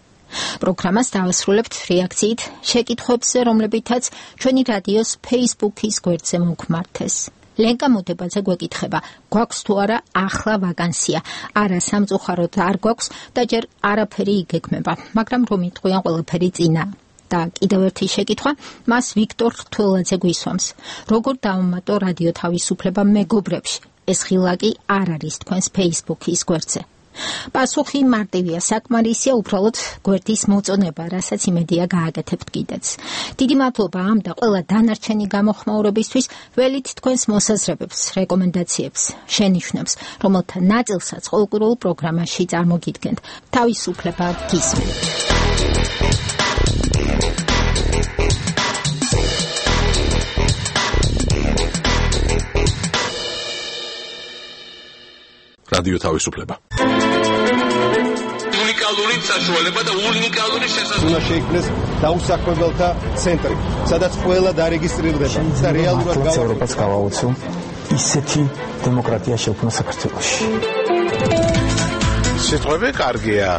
პროგრამას დავასრულებთ რეაქციით შეკითხვებზე, რომლებითაც ჩვენი რადიოს Facebook-ის გვერდზე მოგმართეს. ლენკა მოდებაძე გვეკითხება, გვაქვს თუ არა ახლა ვაკანსია? არა, სამწუხაროდ არ გვაქვს და ჯერ არაფერი იგეგმება, მაგრამ რომ იტყვიან ყველაფერი წინა. და კიდევ ერთი შეკითხვა მას ვიქტორ რთველაძე გვისვამს. როგორ დავამატო რადიო თავისუფლება მეგობრებში? ეს ხილაკი არ არის თქვენს Facebook-ის გვერდზე. პასუხი მარტივია, საკმარისია უბრალოდ გვერდის მოწონება, რასაც იმედია გააკეთებთ კიდეც. დიდი მადლობა ამ და ყველა დანარჩენი გამოხმაურებისთვის, ველით თქვენს მოსაზრებებს, რეკომენდაციებს, შენიშვნებს, რომელთა ნაწილსაც ყოველკვირეულ პროგრამაში წარმოგიდგენთ. თავისუფლება გისმენთ. რადიო თავისუფლება. უნიკალური საშუალება და უნიკალური შესაძლებლობა. უნდა შეიქმნეს დაუსაქმებელთა ცენტრი, სადაც ყველა დარეგისტრირდება და რეალურად ევროპას გავაუწევ ისეთი დემოკრატია შექმნა საქართველოში. სიტყვები კარგია,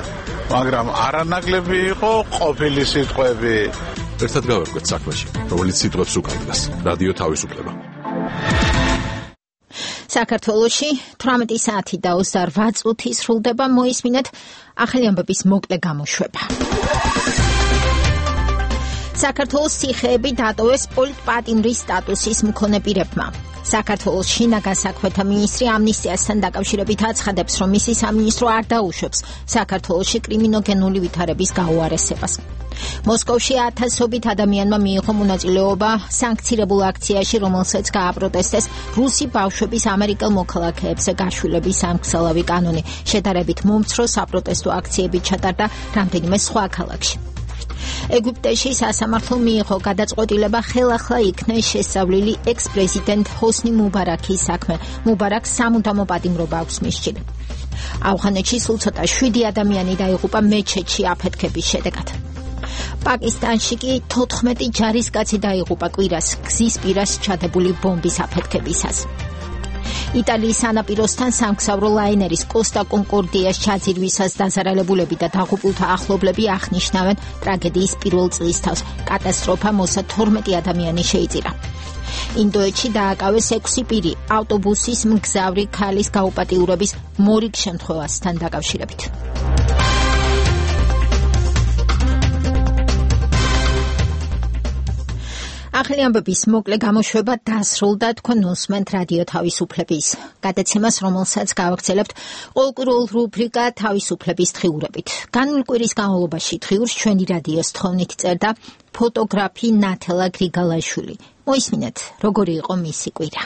მაგრამ არანაკლები იყო ყოფილი სიტყვები. ერთად გავერკვეთ საქმეში, რომელიც სიტყვებს უკავშირდება. რადიო თავისუფლება. საქართველოში 18 საათი და 28 წუთი სრულდება, მოისმინეთ ახალი ამბების მოკლე გამოშვება. საქართველოს ციხეები დატოვეს პოლიტპატიმრის სტატუსის მქონე პირებმა. საქართველოს შინაგან საქმეთა მინისტრი ამნისტიასთან დაკავშირებით აცხადებს, რომ მისი სამინისტრო არ დაუშვებს საქართველოში კრიმინოგენული ვითარების გაუარესებას. მოსკოვში ათასობით ადამიანმა მიიღო მონაწილეობა სანქცირებულ აქციაში, რომელსაც გააპროტესტეს რუსი ბავშვების ამერიკელ მოქალაქეებზე გაშვილების სამგზელავი კანონი. შედარებით მომცრო საპროტესტო აქციები ჩატარდა რამდენიმე სხვა ქალაქში. ეგვიპტეში სასამართლო მიიღო გადაწყვეტილება ხელახლა იქნეს შესწავლილი ექს-პრეზიდენტ ჰოსნი მუბარაქის საქმე. მუბარაქს სამუდამო პატიმრობა აქვს მისჭილი. ავღანეთში სულ ცოტა 7 ადამიანი დაიღუპა მეჩეთში აფეთქების შედეგად. პაკისტანში კი 14 ჯარისკაცი დაიღუპა კვირას გზის პირას ჩადებული ბომბის აფეთქებისას. იტალიის სანაპიროსთან სამგზავრო ლაინერის კოსტა კონკორდიას ჩაძირვისას დაზარალებულები და დაღუპულთა ახლობლები აღნიშნავენ ტრაგედიის პირველ წლისთავს. კატასტროფა მოსა 12 ადამიანი შეიწირა. ინდოეთში დააკავეს 6 პირი ავტობუსის მგზავრი ქალის გაუპატიურების მორიგ შემთხვევასთან დაკავშირებით. ახალი ამბების მოკლე გამოშვება დასრულდა, თქვენ უსმენთ რადიო თავისუფლების გადაცემას, რომელსაც გავაგრძელებთ ყოველკვირეულ რუბრიკა თავისუფლების დღიურებით. განვლ კვირის განმავლობაში დღიურს ჩვენი რადიოს თხოვნით წერდა ფოტოგრაფი ნათელა გრიგალაშვილი. მოისმინეთ, როგორი იყო მისი კვირა.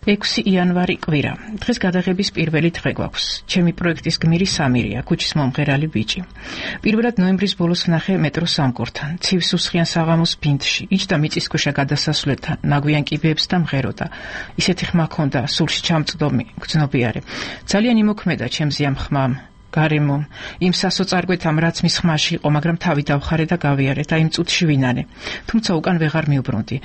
6 იანვარი კვირა. დღეს გადაღების პირველი დღე გვაქვს. ჩემი პროექტის გმირი სამირია, ქუჩის მომღერალი ბიჭი. პირველად ნოემბრის ბოლოს ვნახე მეტროს სამკურთან, ცივ სუსხიან საღამოს ბინდში, იჯდა მიწისქვეშა გადასასვლელთან, ნაგვიან კიბეებს და მღეროდა. ისეთი ხმა ჰქონდა, სულში ჩამწდომი, გრძნობიარე. ძალიან იმოქმედა ჩემზე ამ ხმამ. გარემო, იმ სასოწარკვეთამ, რაც მის ხმაში იყო, მაგრამ თავი დავხარე და გავიარე და იმ წუთში ვინანე. თუმცა უკან ვეღარ მივბრუნდი.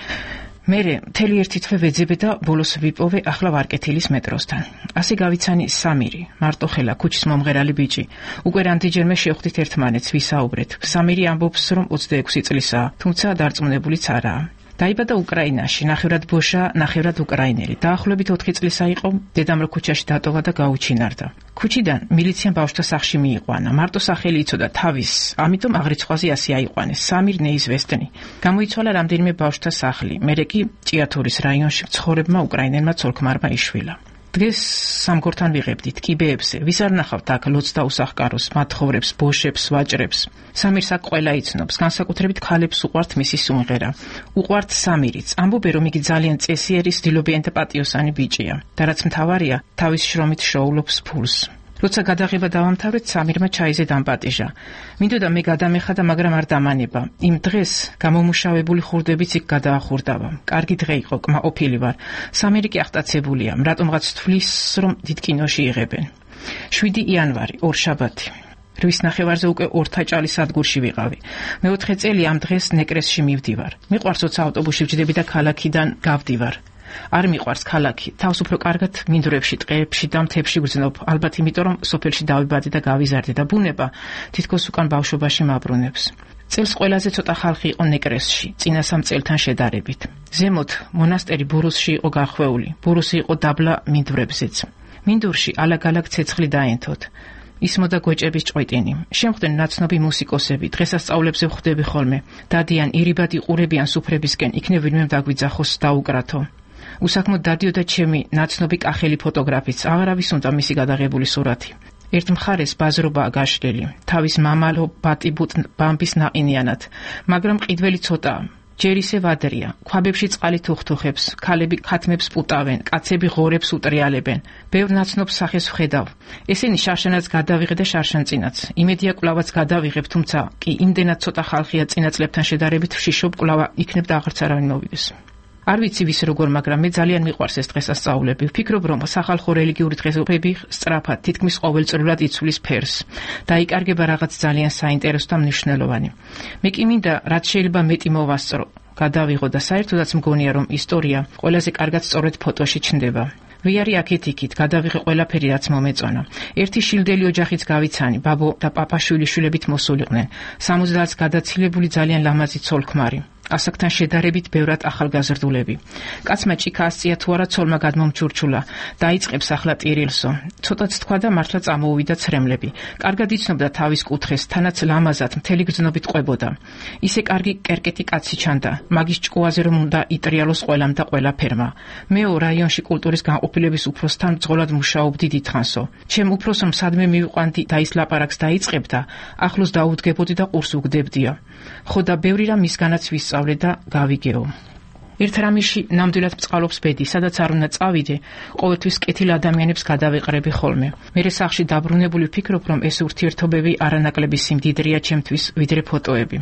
მერე მთელი ერთი თვე ვეძებე და ბოლოს ვიპოვე ახლა ვარკეთილის მეტროსთან. ასე გავიცანი სამირი, მარტოხელა, ქუჩის მომღერალი ბიჭი. უკვე რამდენჯერმე შევხვდით ერთმანეთს, ვისაუბრეთ. სამირი ამბობს, რომ 26 წლისაა, თუმცა დარწმუნებულიც არაა. დაიბადა უკრაინაში, ნახევრად ბოშა, ნახევრად უკრაინელი. დაახლოებით 4 წლისა იყო, დედამ რო ქუჩაში დატოვა და გაუჩინარდა. ქუჩიდან მილიციამ ბავშვთა სახლში მიიყვანა. მარტო სახელი იცოდა თავის, ამიტომ აღრიცხვაზე ასე აიყვანეს. სამირ ნეიზვესტნი. გამოიცვალა რამდენიმე ბავშვთა სახლი. მერე კი ჭიათურის რაიონში მცხოვრებმა უკრაინელმა ცოლ-ქმარმა იშვილა. დღეს სამგორთან ვიღებდით კიბეებზე. ვის არ ნახავთ აქ ლოცს და უსახკაროს, მათხოვრებს, ბოშებს, ვაჭრებს. სამირს აქ ყველა იცნობს, განსაკუთრებით ქალებს უყვართ მისი სიმღერა. უყვართ სამირიც. ამბობენ, რომ იგი ძალიან წესიერი, სდილობიანი და პატიოსანი ბიჭია. და რაც მთავარია, თავის შრომით შოულობს ფულს. როცა გადაღება დავამთავრეთ, სამირმა ჩაიზე დამპატიჟა. მინდოდა მე გადამეხადა, მაგრამ არ დამანება. იმ დღეს გამომუშავებული ხურდებით იქ გადაახურდავა. კარგი დღე იყო, კმაყოფილი ვარ. სამირი კი აღტაცებულია, რატომღაც თვლის, რომ დიდ კინოში იღებენ. 7 იანვარი, ორშაბათი. 8 ნახევარზე უკვე ორთაჭალის სადგურში ვიყავი. მე-4 წელი ამ დღეს ნეკრესში მივდივარ. მიყვარს როცა ავტობუსში ვჯდები და ქალაქიდან გავდივარ. არ მიყვარს ქალაქი, თავს უფრო კარგად მინდვრებში, ტყეებში და მთებში ვგრძნობ, ალბათ იმიტომ, რომ სოფელში დავიბადე და გავიზარდე და ბუნება თითქოს უკან ბავშვობაში მაბრუნებს. წელს ყველაზე ცოტა ხალხი იყო ნეკრესში, წინა 3 წელთან შედარებით. ზემოთ მონასტერი ბურუსში იყო გახვეული, ბურუსი იყო დაბლა მინდვრებზეც. მინდურში ალაგ-ალაგ ცეცხლი დაენთოთ. ისმოდა გვეჭების ჭყვეტინი. შემხდნენ ნაცნობი მუსიკოსები, დღესასწაულებზე ვხვდები ხოლმე. დადიან, ირიბად იყურებიან სუფრებისკენ, იქნებ ვინმე დაგვიძახოს დაუკრათო. უსაქმოდ დადიოდა ჩემი ნაცნობი კახელი ფოტოგრაფიც, აღარავის უნდა მისი გადაღებული სურათი. ერთ მხარეს ბაზრობაა გაშლილი, თავის მამალო ბატიბუტ ბამბის ნაყინიანად, მაგრამ ყიდველი ცოტაა. ჯერ ისე ვადრია, ქვაბებში წყალი თუხთუხებს, ქალები ქათმებს პუტავენ, კაცები ღორებს უტრიალებენ. ბევრ ნაცნობ სახეს ვხედავ. ესენი შარშანაც გადავიღე და შარშანწინაც. იმედია კვლავაც გადავიღებ, თუმცა კი იმდენად ცოტა ხალხია წინა წლებთან შედარებით, ვშიშობ კვლავა იქნებ და აღარც არავინ მოვიდეს. არ ვიცი ვის როგორ, მაგრამ მე ძალიან მიყვარს ეს დღესასწაულები. ვფიქრობ, რომ სახალხო რელიგიური დღესასწაულები სწრაფად, თითქმის ყოველწლიურად იცვლის ფერს. დაიკარგება რაღაც ძალიან საინტერესო და მნიშვნელოვანი. მე კი მინდა, რაც შეიძლება მეტი მოვასწრო, გადავიღო და საერთოდაც მგონია, რომ ისტორია ყველაზე კარგად სწორედ ფოტოში ჩნდება. ვიარი აქეთ-იქით, გადავიღე ყველაფერი, რაც მომეწონა. ერთი შილდელი ოჯახიც გავიცანი, ბაბო და პაპაშვილი შვილებით მოსულიყვნენ. 70-ს გადაცილებული ძალიან ლამაზი ცოლ-ქმარი. ასაკთან შედარებით ბევრად ახალგაზრდულები. კაცმა ჭიქა ასწია თუ არა ცოლმა გადმომჩურჩულა. დაიწყებს ახლა ტირილსო. ცოტაც თქვა და მართლა წამოუვიდა ცრემლები. კარგად იცნობდა თავის კუთხეს, თანაც ლამაზად მთელი გრძნობით ყვებოდა. ისე კარგი კერკეტი კაცი ჩანდა. მაგის ჭკუაზე რომ უნდა იტრიალოს ყველამ და ყველაფერმა. მეო რაიონში კულტურის განყოფილების უფროსთან ბრძოლად მუშაობდი დიდხანსო. ჩემ უფროსს სადმე მივიყვანდი და ის ლაპარაკს დაიწყებდა, ახლოს დაუდგებოდი და ყურს უგდებდია. ხო და ბევრი რამ მისგანაც ვისწავლე და გავიგეო. ერთ რამიში ნამდვილად მწყალობს ბედი, სადაც არ უნდა წავიდე, ყოველთვის კეთილ ადამიანებს გადავეყრები ხოლმე. მერე სახლში დაბრუნებული ვფიქრობ, რომ ეს ურთიერთობები არანაკლები სიმდიდრეა ჩემთვის, ვიდრე ფოტოები.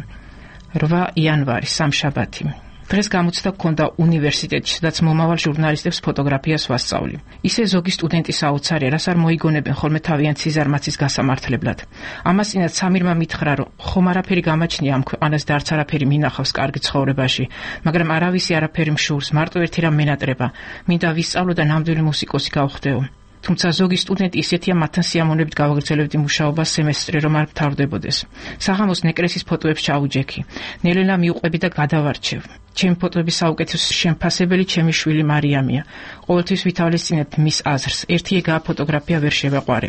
8 იანვარი, სამშაბათი. დღეს გამოცდა გქონდა უნივერსიტეტში, სადაც მომავალ ჟურნალისტებს ფოტოგრაფიას ვასწავლი. ისე ზოგი სტუდენტი საოცარია, რას არ მოიგონებენ ხოლმე თავიანთ სიზარმაცის გასამართლებლად. ამას წინათ სამირმა მითხრა, რომ ხომ არაფერი გამაჩნია ამ ქვეყანას და არც არაფერი მინახავს კარგი ცხოვრებაში, მაგრამ არავისი არაფერი მშურს, მარტო ერთი რამ მენატრება. მინდა ვისწავლო და ნამდვილი მუსიკოსი გავხდეო. თუმცა ზოგი სტუდენტი ისეთია, მათთან სიამოვნებით გავაგრძელებდი მუშაობას სემესტრი, რომ არ მთავრდებოდეს. საღამოს ნეკრესის ფოტოებს ჩაუჯექი. ნელ-ნელა მიუყვები და გადავარჩევ. ჩემი ფოტოების საუკეთესო შემფასებელი ჩემი შვილი მარიამია. ყოველთვის ვითავლესწინებ მის აზრს. ერთი ეგაა ფოტოგრაფია ვერ შევაყვარე.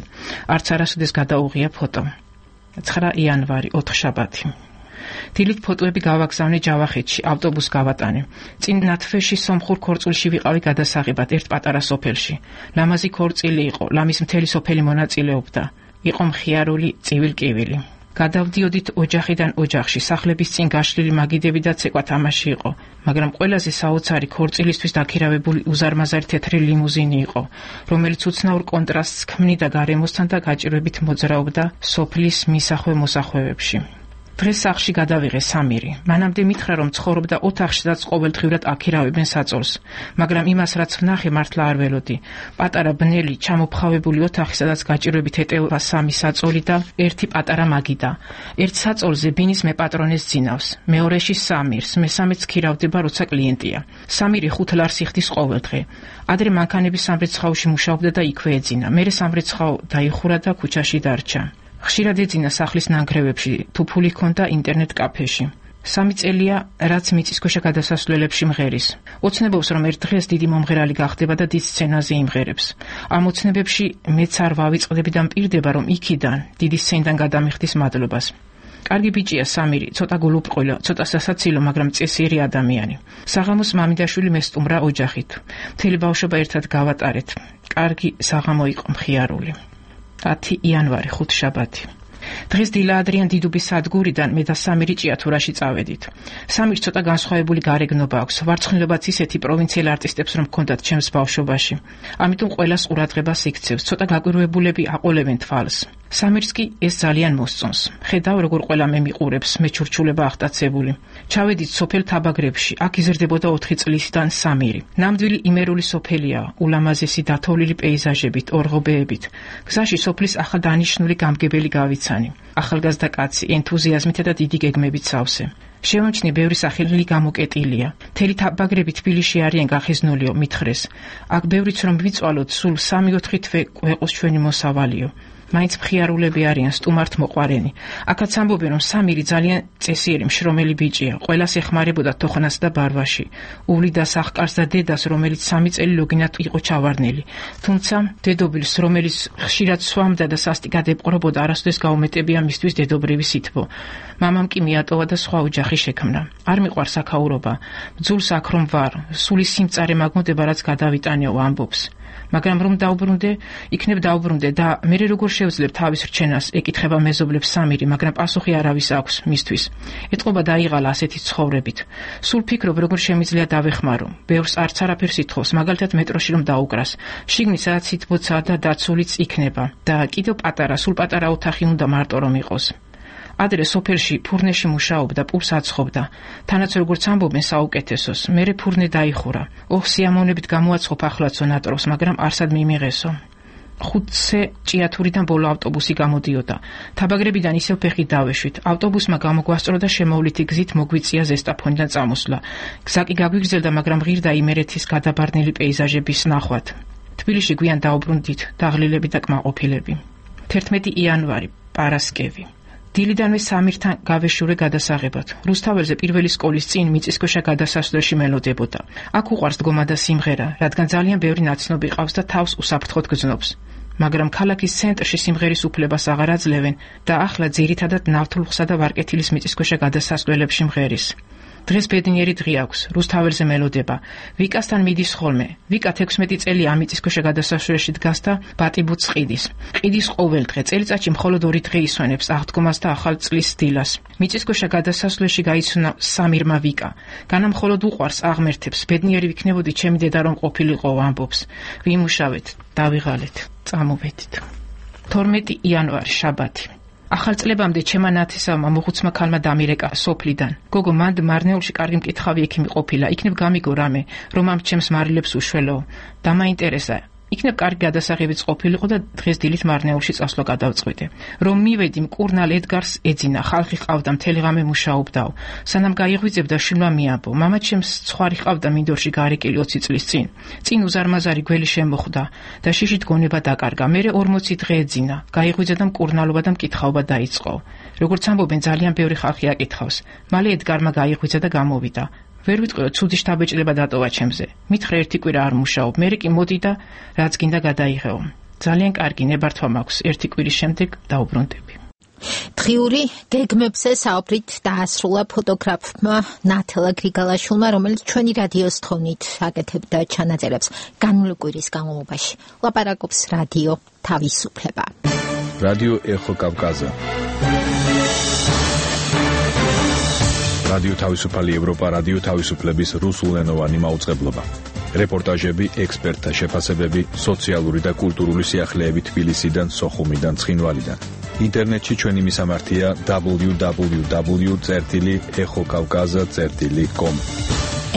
არც არასოდეს გადაუღია ფოტო. 9 იანვარი, ოთხშაბათი. დილით ფოტოები გავაგზავნე ჯავახეთში, ავტობუს გავატანე. წინ ნათვეში სომხურ ქორწილში ვიყავი გადასაღებად ერთ პატარა სოფელში. ლამაზი ქორწილი იყო, ლამის მთელი სოფელი მონაწილეობდა. იყო მხიარული, წივილ-კივილი. გადავდიოდით ოჯახიდან ოჯახში, სახლების წინ გაშლილი მაგიდები და ცეკვა თამაში იყო, მაგრამ ყველაზე საოცარი ქორწილისთვის დაქირავებული უზარმაზარი თეთრი ლიმუზინი იყო, რომელიც უცნაურ კონტრასტს ქმნიდა გარემოსთან და გაჭირვებით მოძრაობდა სოფლის მისახვე-მოსახვეებში. დღეს სახლში გადავიღე სამირი. მანამდე მითხრა, რომ ცხოვრობდა ოთახში, სადაც ყოველდღიურად აქირავებენ საწოლს, მაგრამ იმას, რაც ვნახე, მართლა არ ველოდი. პატარა ბნელი, ჩამოფხავებული ოთახი, სადაც გაჭირვებით ეტევა 3 საწოლი და 1 პატარა მაგიდა. ერთ საწოლზე ბინის მეპატრონეს ძინავს, მეორეში სამირს, მესამეც ქირავდება, როცა კლიენტია. სამირი 5 ლარს იხდის ყოველდღე. ადრე მანქანების სამრეცხაოში მუშაობდა და იქვე ეძინა. მერე სამრეცხაო დაიხურა და ქუჩაში დარჩა. ხშირად ეძინა სახლის ნანგრევებში, თუ ფული ჰქონდა ინტერნეტ კაფეში. 3 წელია, რაც მიწისქვეშა გადასასვლელებში მღერის. ოცნებობს, რომ ერთ დღეს დიდი მომღერალი გახდება და დიდ სცენაზე იმღერებს. ამ ოცნებებში მეც არ ვავიწყდები და მპირდება, რომ იქიდან, დიდი სცენიდან გადამიხდის მადლობას. კარგი ბიჭია სამირი, ცოტა გულუბრყვილო, ცოტა სასაცილო, მაგრამ წესიერი ადამიანი. საღამოს მამიდაშვილი მესტუმრა ოჯახით. მთელი ბავშვობა ერთად გავატარეთ. კარგი საღამო იყო მხიარული. 10 იანვარი, ხუთშაბათი. დღეს დილა ადრიან დიდუბის სადგურიდან მე და სამირი ჭიათურაში წავედით. სამირს ცოტა განსხვავებული გარეგნობა აქვს, ვარცხნილობაც ისეთი პროვინციელ არტისტებს რომ ჰქონდათ ჩემს ბავშვობაში. ამიტომ ყველას ყურადღებას იქცევს, ცოტა გაკვირვებულები აყოლებენ თვალს. სამირს კი ეს ძალიან მოსწონს. ხედავ, როგორ ყველა მე მიყურებს, მე ჩურჩულება ახტაცებული. ჩავედით სოფელ თაბაგრებში, აქ იზრდებოდა 4 წლისიდან სამირი. ნამდვილი იმერული სოფელია, ულამაზესი დათოვლილი პეიზაჟებით, ორღობეებით. გზაში სოფლის ახალდანიშნული გამგებელი გავიცანი. ახალგაზრდა კაცი, ენთუზიაზმითა და დიდი გეგმებით სავსე. შევამჩნი, ბევრი სახელი გამოკეტილია. მთელი თაბაგრები თბილისში არიან გახიზნულიო, მითხრეს. აქ ბევრიც რომ ვიწვალოთ, სულ 3-4 თვე ყვეყოს ჩვენი მოსავალიო. მაინც მხიარულები არიან, სტუმართ მოყვარენი. აქაც ამბობენ, რომ სამირი ძალიან წესიერი, მშრომელი ბიჭია, ყველას ეხმარებოდა თოხნას და ბარვაში. უვლიდა სახკარს და დედას, რომელიც 3 წელი ლოგინად იყო ჩავარდნილი. თუმცა დედობილს, რომელიც ხშირად სვამდა და სასტიკად ეპყრობოდა, არასოდეს გაუმეტებია მისთვის დედობრივი სითბო. მამამ კი მიატოვა და სხვა ოჯახი შექმნა. არ მიყვარს აქაურობა. ბძულს აქ რომ ვარ, სული სიმწარე მაგმოდება, რაც გადავიტანეო, ამბობს. მაგრამ რომ დაუბრუნდე, იქნებ დაუბრუნდე და მე როგორ შევძლებ თავის რჩენას, ეკითხება მეზობლებს სამირი, მაგრამ პასუხი არავის აქვს მისთვის. ეტყობა დაიღალა ასეთი ცხოვრებით. სულ ფიქრობ, როგორ შემიძლია დავეხმარო. ბევრს არც არაფერს ითხოვს, მაგალითად მეტროში რომ დაუკრას. შიგნით სადაც სითბოცაა და დაცულიც იქნება და კიდევ პატარა, სულ პატარა ოთახი უნდა მარტო რომ იყოს. ადრე სოფელში ფურნეში მუშაობდა, პურს აცხობდა. თანაც როგორც ამბობენ საუკეთესოს, მერე ფურნე დაიხურა. სიამოვნებით გამოაცხობ ახლაცო ნატროს, მაგრამ არსად მიმიღესო. 5-ზე ჭიათურიდან ბოლო ავტობუსი გამოდიოდა. თაბაგრებიდან ისევ ფეხით დავეშვით. ავტობუსმა გამოგვასწრო და შემოვლითი გზით მოგვიწია ზესტაფონიდან წამოსვლა. გზა კი გაგვიგრძელდა, მაგრამ ღირდა იმერეთის გადაბარნილი პეიზაჟების ნახვად. თბილისში გვიან დაუბრუნდით, დაღლილები და კმაყოფილები. 11 იანვარი, პარასკევი. დილიდანვე სამირთან გავეშურე გადასაღებად. რუსთაველზე პირველი სკოლის წინ მიწისქვეშა გადასასვლელში მელოდებოდა. აქ უყვარს დგომა და სიმღერა, რადგან ძალიან ბევრი ნაცნობი ყავს და თავს უსაფრთხოდ გრძნობს. მაგრამ ქალაქის ცენტრში სიმღერის უფლებას აღარ აძლევენ და ახლა ძირითადად ნავთლუხსა და ვარკეთილის მიწისქვეშა გადასასვლელებში მღერის. დღეს ბედნიერი დღე აქვს, რუსთაველზე მელოდება. ვიკასთან მიდის ხოლმე. ვიკა 16 წელი ამ მიწისქვეშა გადასასვლელში დგას და ბატიბუც ყიდის. ყიდის ყოველდღე, წელიწადში მხოლოდ 2 დღე ისვენებს აღდგომას და ახალ წლის დილას. მიწისქვეშა გადასასვლელში გაიცნო სამირმა ვიკა. განა მხოლოდ უყვარს, აღმერთებს. ბედნიერი ვიქნებოდი, ჩემი დედა რომ ყოფილიყო, ამბობს. ვიმუშავეთ, დავიღალეთ, წამოვედით. 12 იანვარი, შაბათი. ახალ წლებამდე ჩემა ნათესავმა მოხუცმა ქალმა დამირეკა სოფლიდან. გოგო, მანდ მარნეულში კარგი მკითხავი ექიმი ყოფილა. იქნებ გამიგო რამე, რომ ამ ჩემს მარილებს უშველო. დამაინტერესა. იქნებ კარგი გადასაღებიც ყოფილიყო და დღეს დილით მარნეულში წასვლა გადავწყვიტე. რომ მივედი, მკურნალ ედგარს ეძინა, ხალხი ყავდა, მთელი ღამე მუშაობდაო. სანამ გაიღვიძებდა, შვილმა მიაბო. მამა ჩემს ცხვარი ყავდა მინდორში გარეკილი 20 წლის წინ. წინ უზარმაზარი გველი შემოხვდა და შიშით გონება დაკარგა. მერე 40 დღე ეძინა. გაიღვიძა და მკურნალობა და მკითხაობა დაიწყო. როგორც ამბობენ, ძალიან ბევრი ხალხი აკითხავს. მალე ედგარმა გაიღვიძა და გამოვიდა. ვერ ვიტყვიო, ცუდი შთაბეჭდილება დატოვა ჩემზე. მითხრა ერთი კვირა არ მუშაობ, მერე კი მოდი და რაც გინდა გადაიღეო. ძალიან კარგი ნებართვა მაქვს, ერთი კვირის შემდეგ დაუბრუნდები. დღიური გეგმებზე საუბრით დაასრულა ფოტოგრაფმა ნათელა გრიგალაშვილმა, რომელიც ჩვენი რადიოს თხოვნით აკეთებდა ჩანაწერებს განვლი კვირის განმავლობაში. ლაპარაკობს რადიო თავისუფლება. რადიო ეხო კავკაზა. რადიო თავისუფალი ევროპა, რადიო თავისუფლების რუსულენოვანი მაუწყებლობა. რეპორტაჟები, ექსპერტთა შეფასებები, სოციალური და კულტურული სიახლეები თბილისიდან, სოხუმიდან, ცხინვალიდან. ინტერნეტში ჩვენი მისამართია www.exokavkaza.com.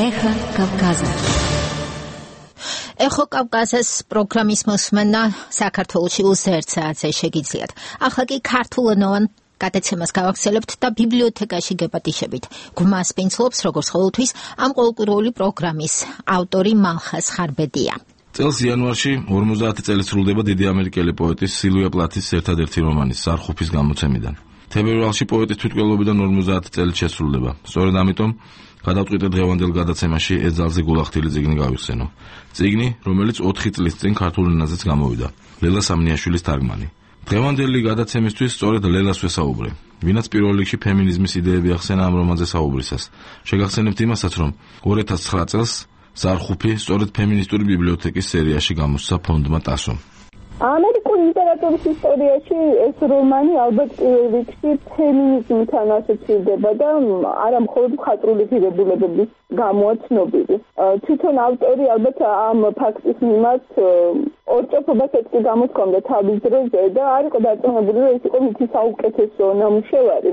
ეხა კავკაზა. ეხო კავკაზას პროგრამის მოსმენა საქართველოში უსერთ საათზე შეგიძლიათ. ახლა კი ქართულენოვან გადაცემას გავაგრძელებთ და ბიბლიოთეკაში გეპატიშებით. გვმას პინცლობს როგორც ყოველთვის ამ ყოველკვირეული პროგრამის ავტორი მალხას ხარბედია. წელს იანვარში 50 წელი სრულდება დიდი ამერიკელი პოეტის სილვია პლათის ერთადერთი რომანის ზარხუფის გამოცემიდან. თებერვალში პოეტის თვითმკვლელობიდან 50 წელი შესრულდება. სწორედ ამიტომ გადავწყვიტე დღევანდელ გადაცემაში ეს ძალზე გულახდილი წიგნი გავიხსენო. წიგნი, რომელიც 4 წლის წინ ქართულ ენაზეც გამოვიდა. ლელა სამნიაშვილის თარგმანი. დღევანდელი გადაცემისთვის სწორედ ლელას ვესაუბრე. ვინაც პირველ რიგში ფემინიზმის იდეები ახსენა ამ რომანზე საუბრისას. შეგახსენებთ იმასაც, რომ 2009 წელს ზარხუფი სწორედ ფემინისტური ბიბლიოთეკის სერიაში გამოსცა ფონდმა ტასომ. ამერიკული ლიტერატურის ისტორიაში ეს რომანი ალბათ პირველ რიგში ფემინიზმთან ასოცირდება და არა მხოლოდ მხატვრული ღირებულებების გამოა ცნობილი. თვითონ ავტორი ალბათ ამ ფაქტის მიმართ ორჭოფობას ეთქი გამოსქონდა თავის დროზე და არ იყო დარწმუნებული, რომ ეს იყო მისი საუკეთესო ნამუშევარი.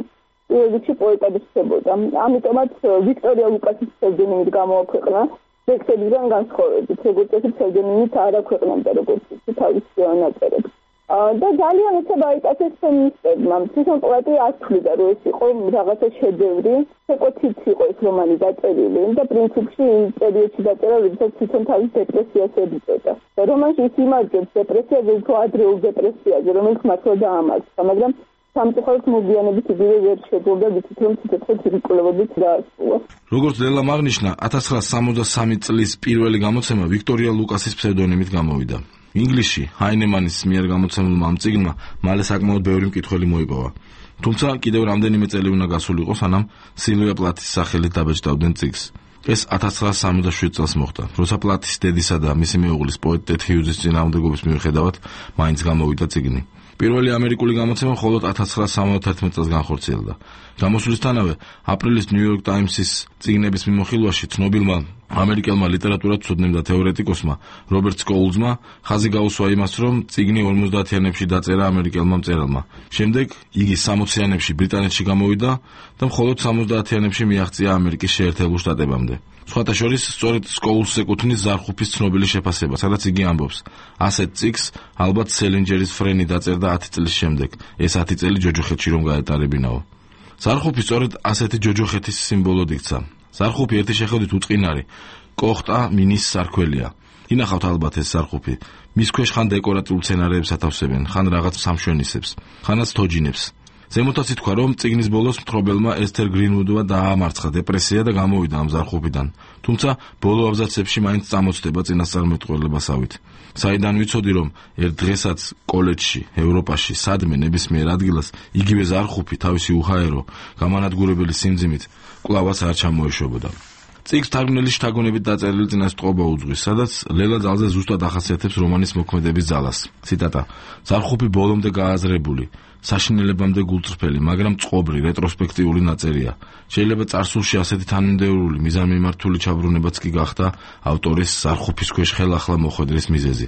პირველ რიგში პოეტად რჩებოდა. ამიტომაც ვიქტორია ლუკასის ფსევდონიმით გამოაქვეყნა. ტექსტებიდან განსხვავებით, როგორც ეს ფსევდონიმით არ აქვეყნებდა როგორც თავის ნაწერებს. და ძალიან ეცება აიტაცეს ფემინისტებმა. თვითონ პოეტი ასწავლიდა, რომ ეს იყო რაღაცა შედევრი, ეკოთიც იყო ეს რომანი დაწერილი და პრინციპში იმ პერიოდში დაწერა, როდესაც თვითონ თავის დეპრესიას ებრძოდა. რომანში ის იმარჯვებს დეპრესიაზე, უფრო ადრეულ დეპრესიაზე, რომელიც მართლა დაამარცხა, მაგრამ სამწუხაროდ მოგვიანებით იგივე ვერ შეძლო ვიცით რომ ციტათხე ცირკულობებით დაასრულა. როგორც ლელამ აღნიშნა, 1963 წლის პირველი გამოცემა ვიქტორია ლუკასის ფსევდონიმით გამოვიდა. ინგლისში ჰაინემანის მიერ გამოცემულმა ამ წიგნმა მალე საკმაოდ ბევრი მკითხველი მოიპოვა. თუმცა კიდევ რამდენიმე წელი უნდა გასულიყო, სანამ სილვია პლათის სახელით დაბეჭდავდნენ წიგნს. ეს 1967 წელს მოხდა, როცა პლათის დედისა და მისი მეუღლის პოეტ ტედ ჰიუზის წინააღმდეგობის მიუხედავად მაინც გამოვიდა წიგნი. პირველი ამერიკული გამოცემა მხოლოდ 1971 წელს განხორციელდა. გამოსვლისთანავე აპრილის ნიუ-იორკ ტაიმსის წიგნების მიმოხილვაში ცნობილმა ამერიკელმა ლიტერატურათმცოდნემ და თეორეტიკოსმა რობერტ სკოულზმა ხაზი გაუსვა იმას, რომ წიგნი 50-იანებში დაწერა ამერიკელმა მწერალმა. შემდეგ იგი 60-იანებში ბრიტანეთში გამოვიდა და მხოლოდ 70-იანებში მიაღწია ამერიკის შეერთებულ შტატებამდე. სხვათა შორის სწორედ სკოულს ეკუთვნის ზარხუფის ცნობილი შეფასება, სადაც იგი ამბობს: ასეთ წიგნს ალბათ სელინჯერის ფრენი დაწერდა 10 წლის შემდეგ, ეს 10 წელი ჯოჯოხეთში რომ გაეტარებინაო. ზარხუფი სწორედ ასეთი ჯოჯოხეთის სიმბოლოდ იქცა. ზარხუფი ერთი შეხედვით უწყინარი, კოხტა მინის სარქველია. ინახავთ ალბათ ეს ზარხუფი. მის ქვეშ ხან დეკორატიულ სცენარებს ათავსებენ, ხან რაღაც სამშვენისებს, ხანაც თოჯინებს. ზემოთაც ითქვა, რომ წიგნის ბოლოს მთხრობელმა ესთერ გრინვუდმა დაამარცხა დეპრესია და გამოვიდა ამ ზარხუფიდან. თუმცა ბოლო აბზაცებში მაინც წამოწდება წინასწარმეტყველებასავით. საიდან ვიცოდი, რომ ერთ დღესაც კოლეჯში, ევროპაში, სადმე ნებისმიერ ადგილას იგივე ზარხუფი თავისი უჰაერო, გამანადგურებელი სიმძიმით კვლავაც არ ჩამოეშვებოდა. წიგნს თარგმნელი შთაგონებით დაწერილი წინასწრობა უძღვის, სადაც ლელა ძალზე ზუსტად ახასიათებს რომანის მოქმედების ძალას. ციტატა: ზარხუფი ბოლომდე გააზრებული, საშინელებამდე გულწრფელი, მაგრამ წყობრი, რეტროსპექტიული ნაწერია. შეიძლება წარსულში ასეთი თანმიმდევრული, მიზანმიმართული ჩაბრუნებაც კი გახდა ავტორის ზარხუფის ქვეშ ხელახლა მოხვედრის მიზეზი.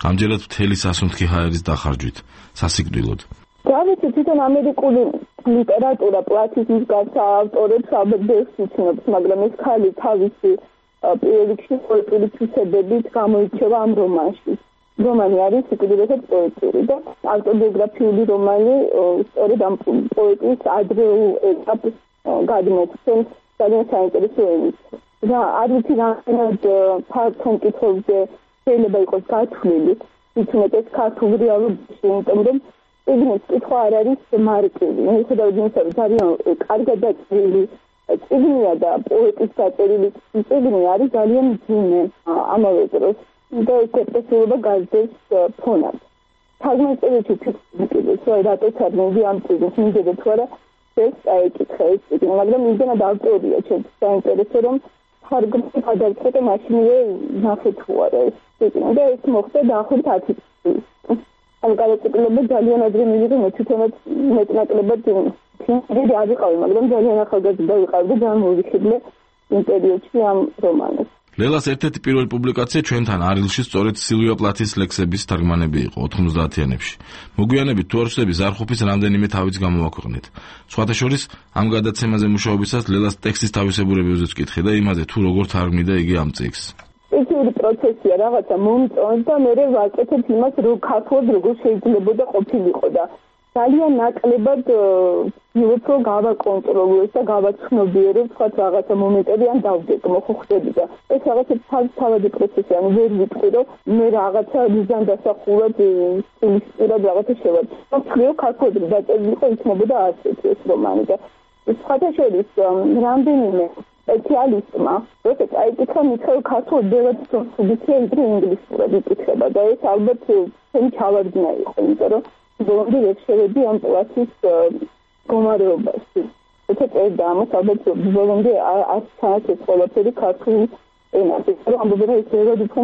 ამჯერად მთელი სასუნთქი ჰაერის დახარჯვით, სასიკვდილოდ. გავიცი თვითონ ამერიკული ლიტერატურა პლათიზმის გარდა ავტორებს ალბათ ბევრს იცნობს, მაგრამ ეს ხალი თავისი პირველ რიგში პოეტური თვისებებით გამოირჩევა ამ რომანში. რომანი არის უკიდურესად პოეტური და ავტობიოგრაფიული რომანი სწორედ ამ პოეტის ადრეულ ეტაპს გადმოგვცემს ძალიან საინტერესო ენით. და არ ვიცი რამდენად ფართო მკითხველზე შეიძლება იყოს გათვლილი, თვითონაც ქართულ რეალობაში, იმიტომ რომ წიგნის კითხვა არ არის მარკები. მიუხედავად იმისა, რომ ძალიან კარგად დაწერილი წიგნია და პოეტის დაწერილი წიგნი არის ძალიან მძიმე ამავე დროს. და დეპრესიულობა გაძლევს ფონად. თარგმანებში ფიქრობთ, რომ რატო თარგმნები ამ წიგნს მინდოდა თუ არა ეს წაიკითხე ეს წიგნი, მაგრამ იმდენად ავტორია ჩემთვის საინტერესო, რომ თარგმანი გადავწყვეტე მაშინვე ნახე თუ არა ეს წიგნი და ეს მოხდა დაახლოებით 10 წლის. ამ გადაწყვეტილება ძალიან ადრე მივიღე, მე თვითონაც მეტნაკლებად დიდი არ ვიყავი, მაგრამ ძალიან ახალგაზრდა ვიყავი და ძალიან მოვიხიბლე იმ პერიოდში ამ რომანს. ლელას ერთ-ერთი პირველი პუბლიკაცია ჩვენთან არილში სწორედ სილვია პლათის ლექსების თარგმანები იყო 90-იანებში. მოგვიანებით თუ არ ვწდები ზარხუფის რამდენიმე თავიც გამოვაქვეყნეთ. სხვათა შორის ამ გადაცემაზე მუშაობისას ლელას ტექსტის თავისებურებებზეც ვკითხე და იმაზე თუ როგორ თარგმნიდა იგი ამ წიგნს. ისეთი პროცესია რაღაცა მომწონს და მე ვაკეთებ იმას, რომ ქართულად როგორ შეიძლებოდა ყოფილიყო და ძალიან ნაკლებად ვიუწო გავაკონტროლოს და გავაცნობიერებ სხვა რაღაცა მომენტები ან დავდეკმო ხო ხდები და ეს რაღაცა თავადი პროცესი ანუ ვერ ვიტყვი რომ მე რაღაცა მიზან დასახულად სტილისტურად რაღაცა შევაჩერე. თქვენ ქართულად დაწერილიყო იქნებოდა ასეთი ეს რომანი და სხვათა შორის რამდენიმე სპეციალისტმა როდესაც აიკითხა მითხრა ქართულად ბევრად სუბიექტია ვიდრე ინგლისურად იკითხება და ეს ალბათ ჩემი ჩავარდნა იყო იმიტომ რომ ბოლომდე ვეშერები ამ პლათის გომარეობაში. ეს და ამას ალბათ ბოლომდე არ ჩააჩეს ყველაფერი ქართული ენაზე. რომ ამბობენ ეს ბევრად უფრო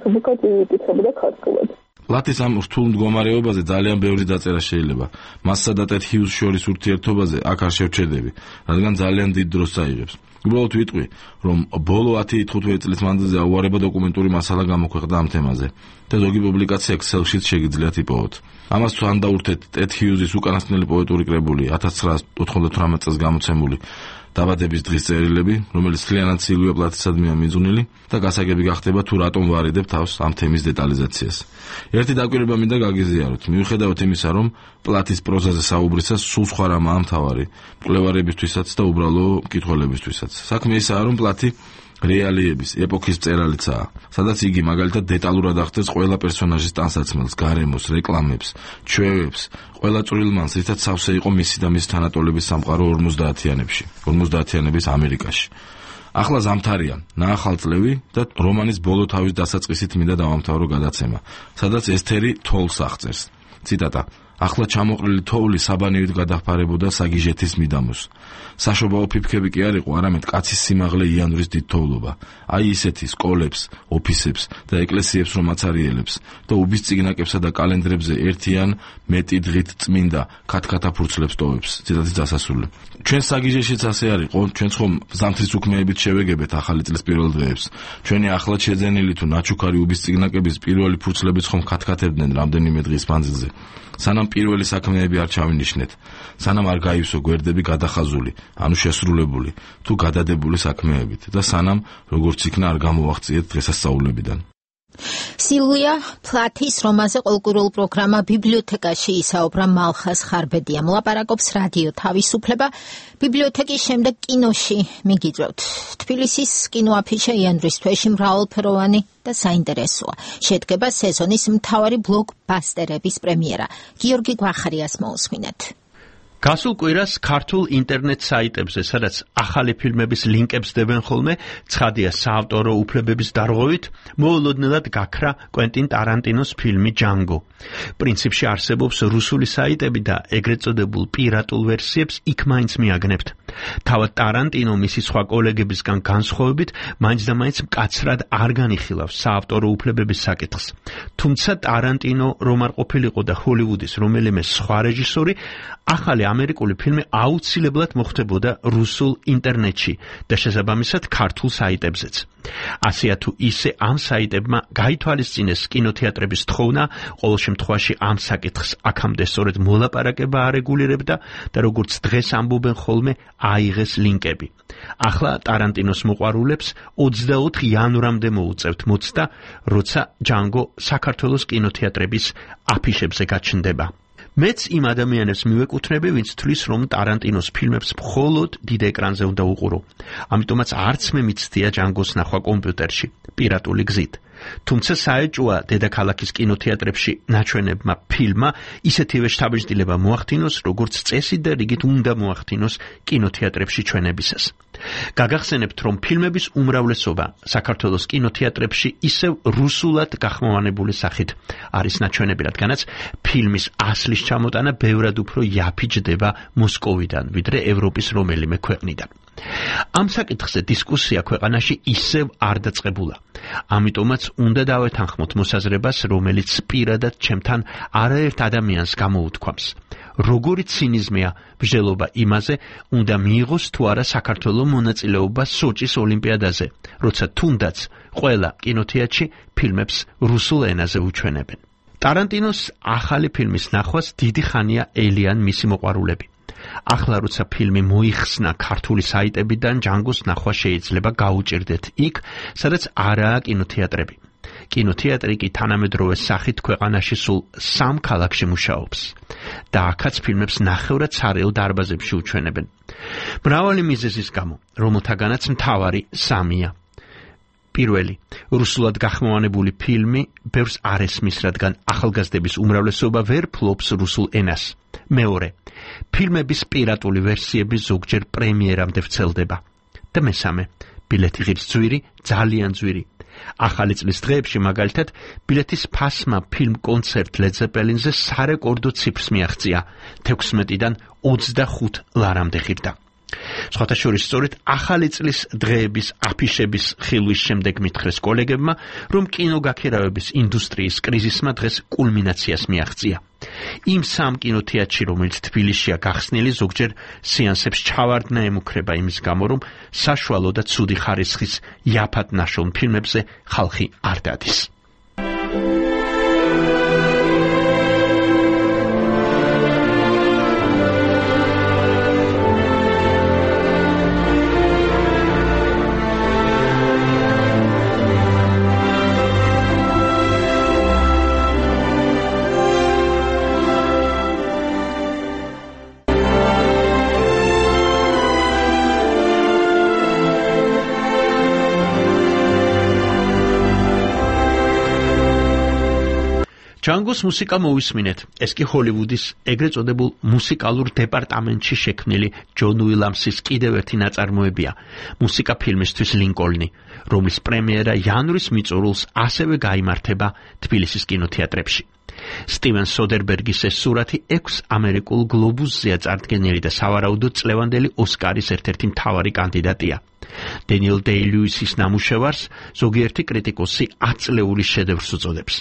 სუბიექტი იკითხება ქართულად. პლათის ამ რთულ მდგომარეობაზე ძალიან ბევრი დაწერა შეიძლება. მასსა და ტედ ჰიუზს შორის ურთიერთობაზე აქ არ შევჩერდები, რადგან ძალიან დიდ დროს წაიღებს. უბრალოდ ვიტყვი, რომ ბოლო 10-15 წლის მანძილზე აუარება დოკუმენტური მასალა გამოქვეყნდა ამ თემაზე და ზოგი პუბლიკაცია Excel-შიც შეგიძლიათ იპოვოთ. ამას თუ ან დაურთეთ ტედ ჰიუზის უკანასკნელი პოეტური კრებული 1998 წელს გამოცემული დაბადების დღის წერილები, რომელიც მთლიანად სილვია პლათისადმია მიძღვნილი და გასაგები გახდება თუ რატომ ვარიდებ თავს ამ თემის დეტალიზაციას. ერთი დაკვირვება მინდა გაგიზიაროთ. მიუხედავად იმისა, რომ პლათის პროზაზე საუბრისას სულ სხვა რამაა მთავარი, მკვლევარებისთვისაც და უბრალო მკითხველებისთვისაც. საქმე ისაა, რომ პლათი რეალიების ეპოქის მწერალიცაა, სადაც იგი მაგალითად დეტალურად ახდენს ყველა პერსონაჟის ტანსაცმელს, გარემოს, რეკლამებს, ჩვევებს, ყველა წვრილმანს, რითაც სავსე იყო მისი და მის თანატოლების სამყარო 50-იანების ამერიკაში. ახლა ზამთარია, ნაახალწლევი და რომანის ბოლო თავის დასაწყისით მინდა დავამთავრო გადაცემა, სადაც ესთერი თოვლს აღწერს. ციტატა: ახლა ჩამოყრილი თოვლი საბანივით გადაჰფარებოდა საგიჟეთის მიდამოს. საშობაო ფიფქები კი არ იყო, არამედ კაცის სიმაღლე იანვრის დიდ თოვლობა. აი ისეთი სკოლებს, ოფისებს და ეკლესიებს რომ აცარიელებს და უბის წიგნაკებსა და კალენდრებზე ერთიან მეტი დღით წმინდა ქათქათაფურცლებს ტოვებს. ციტატის დასასრული. ჩვენ საგიჟეშიც ასე არ იყო, ჩვენც ხომ ზამთრის უქმეებით შევეგებეთ ახალი წლის პირველ დღეებს. ჩვენი ახლად შეძენილი თუ ნაჩუქარი უბის წიგნაკების პირველი ფურცლებიც ხომ ქათქათებდნენ რამდენიმე დღის მანძილზე. სანამ პირველი საქმეები არ ჩავინიშნეთ, სანამ არ გაივსო გვერდები გადახაზული, ანუ შესრულებული, თუ გადადებული საქმეებით და სანამ როგორც იქნა არ გამოვაღწიეთ დღესასწაულებიდან. სილვია პლათის რომანზე ყოლკურულ პროგრამა ბიბლიოთეკაში ისაუბრა მალხას ხარბედია. მოლაპარაკობს რადიო თავისუფლება. ბიბლიოთეკის შემდეგ კინოში მიგიწევთ. თბილისის კინოაფიშა იანვრის თვეში მრავალფეროვანი და საინტერესოა. შედგება სეზონის მთავარი ბლოკბასტერების პრემიერა. გიორგი გვახარიას მოусმინეთ. გასულ კვირას ქართულ ინტერნეტ საიტებზე, სადაც ახალი ფილმების ლინკებს დებენ ხოლმე, ცხადია საავტორო უფლებების დარღვევით, მოულოდნელად გაქრა კვენტინ ტარანტინოს ფილმი ჯანგო. პრინციპში არსებობს რუსული საიტები და ეგრეთ წოდებულ პირატულ ვერსიებს იქ მაინც მიაგნებთ. თავად ტარანტინო მისი სხვა კოლეგებისგან განსხვავებით, მაინც და მაინც მკაცრად არ განიხილავს საავტორო უფლებების საკითხს. თუმცა ტარანტინო რომ არ ყოფილიყო და ჰოლივუდის რომელიმე სხვა რეჟისორი, ახალი ამერიკული ფილმი აუცილებლად მოხდებოდა რუსულ ინტერნეტში და შესაბამისად ქართულ საიტებზეც. ასეა თუ ისე ამ საიტებმა გაითვალისწინეს კინოთეატრების თხოვნა, ყოველ შემთხვევაში ამ საკითხს აქამდე სწორედ მოლაპარაკება არეგულირებდა და როგორც დღეს ამბობენ ხოლმე აიღეს ლინკები. ახლა ტარანტინოს მოყვარულებს 24 იანვრამდე მოუწევთ მოცდა, როცა ჯანგო საქართველოს კინოთეატრების აფიშებზე გაჩნდება. მეც იმ ადამიანებს მივეკუთვნები, ვინც თვლის, რომ ტარანტინოს ფილმებს მხოლოდ დიდ ეკრანზე უნდა უყურო. ამიტომაც არც მე მიცდია ჯანგოს ნახვა კომპიუტერში, პირატული გზით. თუმცა საეჭვოა დედაქალაქის კინოთეატრებში ნაჩვენებმა ფილმმა ისეთივე შთაბეჭდილება მოახდინოს, როგორც წესი და რიგით უნდა მოახდინოს კინოთეატრებში ჩვენებისას. გაგახსენებთ, რომ ფილმების უმრავლესობა საქართველოს კინოთეატრებში ისევ რუსულად გახმოვანებული სახით არის ნაჩვენები, რადგანაც ფილმის ასლის ჩამოტანა ბევრად უფრო იაფი ჯდება მოსკოვიდან, ვიდრე ევროპის რომელიმე ქვეყნიდან. ამ საკითხზე დისკუსია ქვეყანაში ისევ არ დაწყებულა. ამიტომაც უნდა დავეთანხმოთ მოსაზრებას, რომელიც პირადად ჩემთან არაერთ ადამიანს გამოუთქვამს. როგორი ცინიზმია ბრძოლობა იმაზე, უნდა მიიღოს თუ არა საქართველოს მონაწილეობა სოჭის ოლიმპიადაზე, როცა თუნდაც ყველა კინოთეატრში ფილმებს რუსულ ენაზე უჩვენებენ. ტარანტინოს ახალი ფილმის ნახვას დიდი ხანია ელიან მისი მოყვარულები. ახლა როცა ფილმი მოიხსნა ქართული საიტებიდან, ჯანგოს ნახვა შეიძლება გაუჭირდეთ იქ, სადაც არაა კინოთეატრები. კინოთეატრი კი თანამედროვე სახით ქვეყანაში სულ 3 ქალაქში მუშაობს და აქაც ფილმებს ნახევრად სარეულ დარბაზებში უჩვენებენ. მრავალი მიზეზის გამო, რომელთაგანაც მთავარი 3-ია. პირველი, რუსულად გახმოვანებული ფილმი ბევრს არ ესმის, რადგან ახალგაზრდების უმრავლესობა ვერ ფლობს რუსულ ენას. მეორე, ფილმების პირატული ვერსიები ზოგჯერ პრემიერამდე ვრცელდება. და მესამე, ბილეთი ღირს ძვირი, ძალიან ძვირი. ახალი წლის დღეებში მაგალითად ბილეთის ფასმა ფილმ კონცერტ Led Zeppelin-ზე სარეკორდო ციფრს მიაღწია, 16-დან 25 ლარამდე ღირდა. სხვათა შორის სწორედ ახალი წლის დღეების აფიშების ხილვის შემდეგ მითხრეს კოლეგებმა, რომ კინოგაქირავების ინდუსტრიის კრიზისმა დღეს კულმინაციას მიაღწია. იმ 3 კინოთეატრში, რომელიც თბილისშია გახსნილი, ზოგჯერ სეანსებს ჩავარდნა ემუქრება იმის გამო, რომ საშუალო და ცუდი ხარისხის იაფად ნაშრომ ფილმებზე ხალხი არ დადის. ჯანგოს მუსიკა მოვისმინეთ. ეს კი ჰოლივუდის ეგრეთ წოდებულ მუსიკალურ დეპარტამენტში შექმნილი ჯონ უილამსის კიდევ ერთი ნაწარმოებია, მუსიკა ფილმისთვის ლინკოლნი, რომლის პრემიერა იანვრის მიწურულს ასევე გაიმართება თბილისის კინოთეატრებში. სტივენ სოდერბერგის ეს სურათი 6 ამერიკულ გლობუსზეა წარდგენილი და სავარაუდოდ წლევანდელი ოსკარის ერთ-ერთი მთავარი კანდიდატია. დენიელ დეი-ლუისის ნამუშევარს ზოგიერთი კრიტიკოსი აწლეული შედევრს უწოდებს.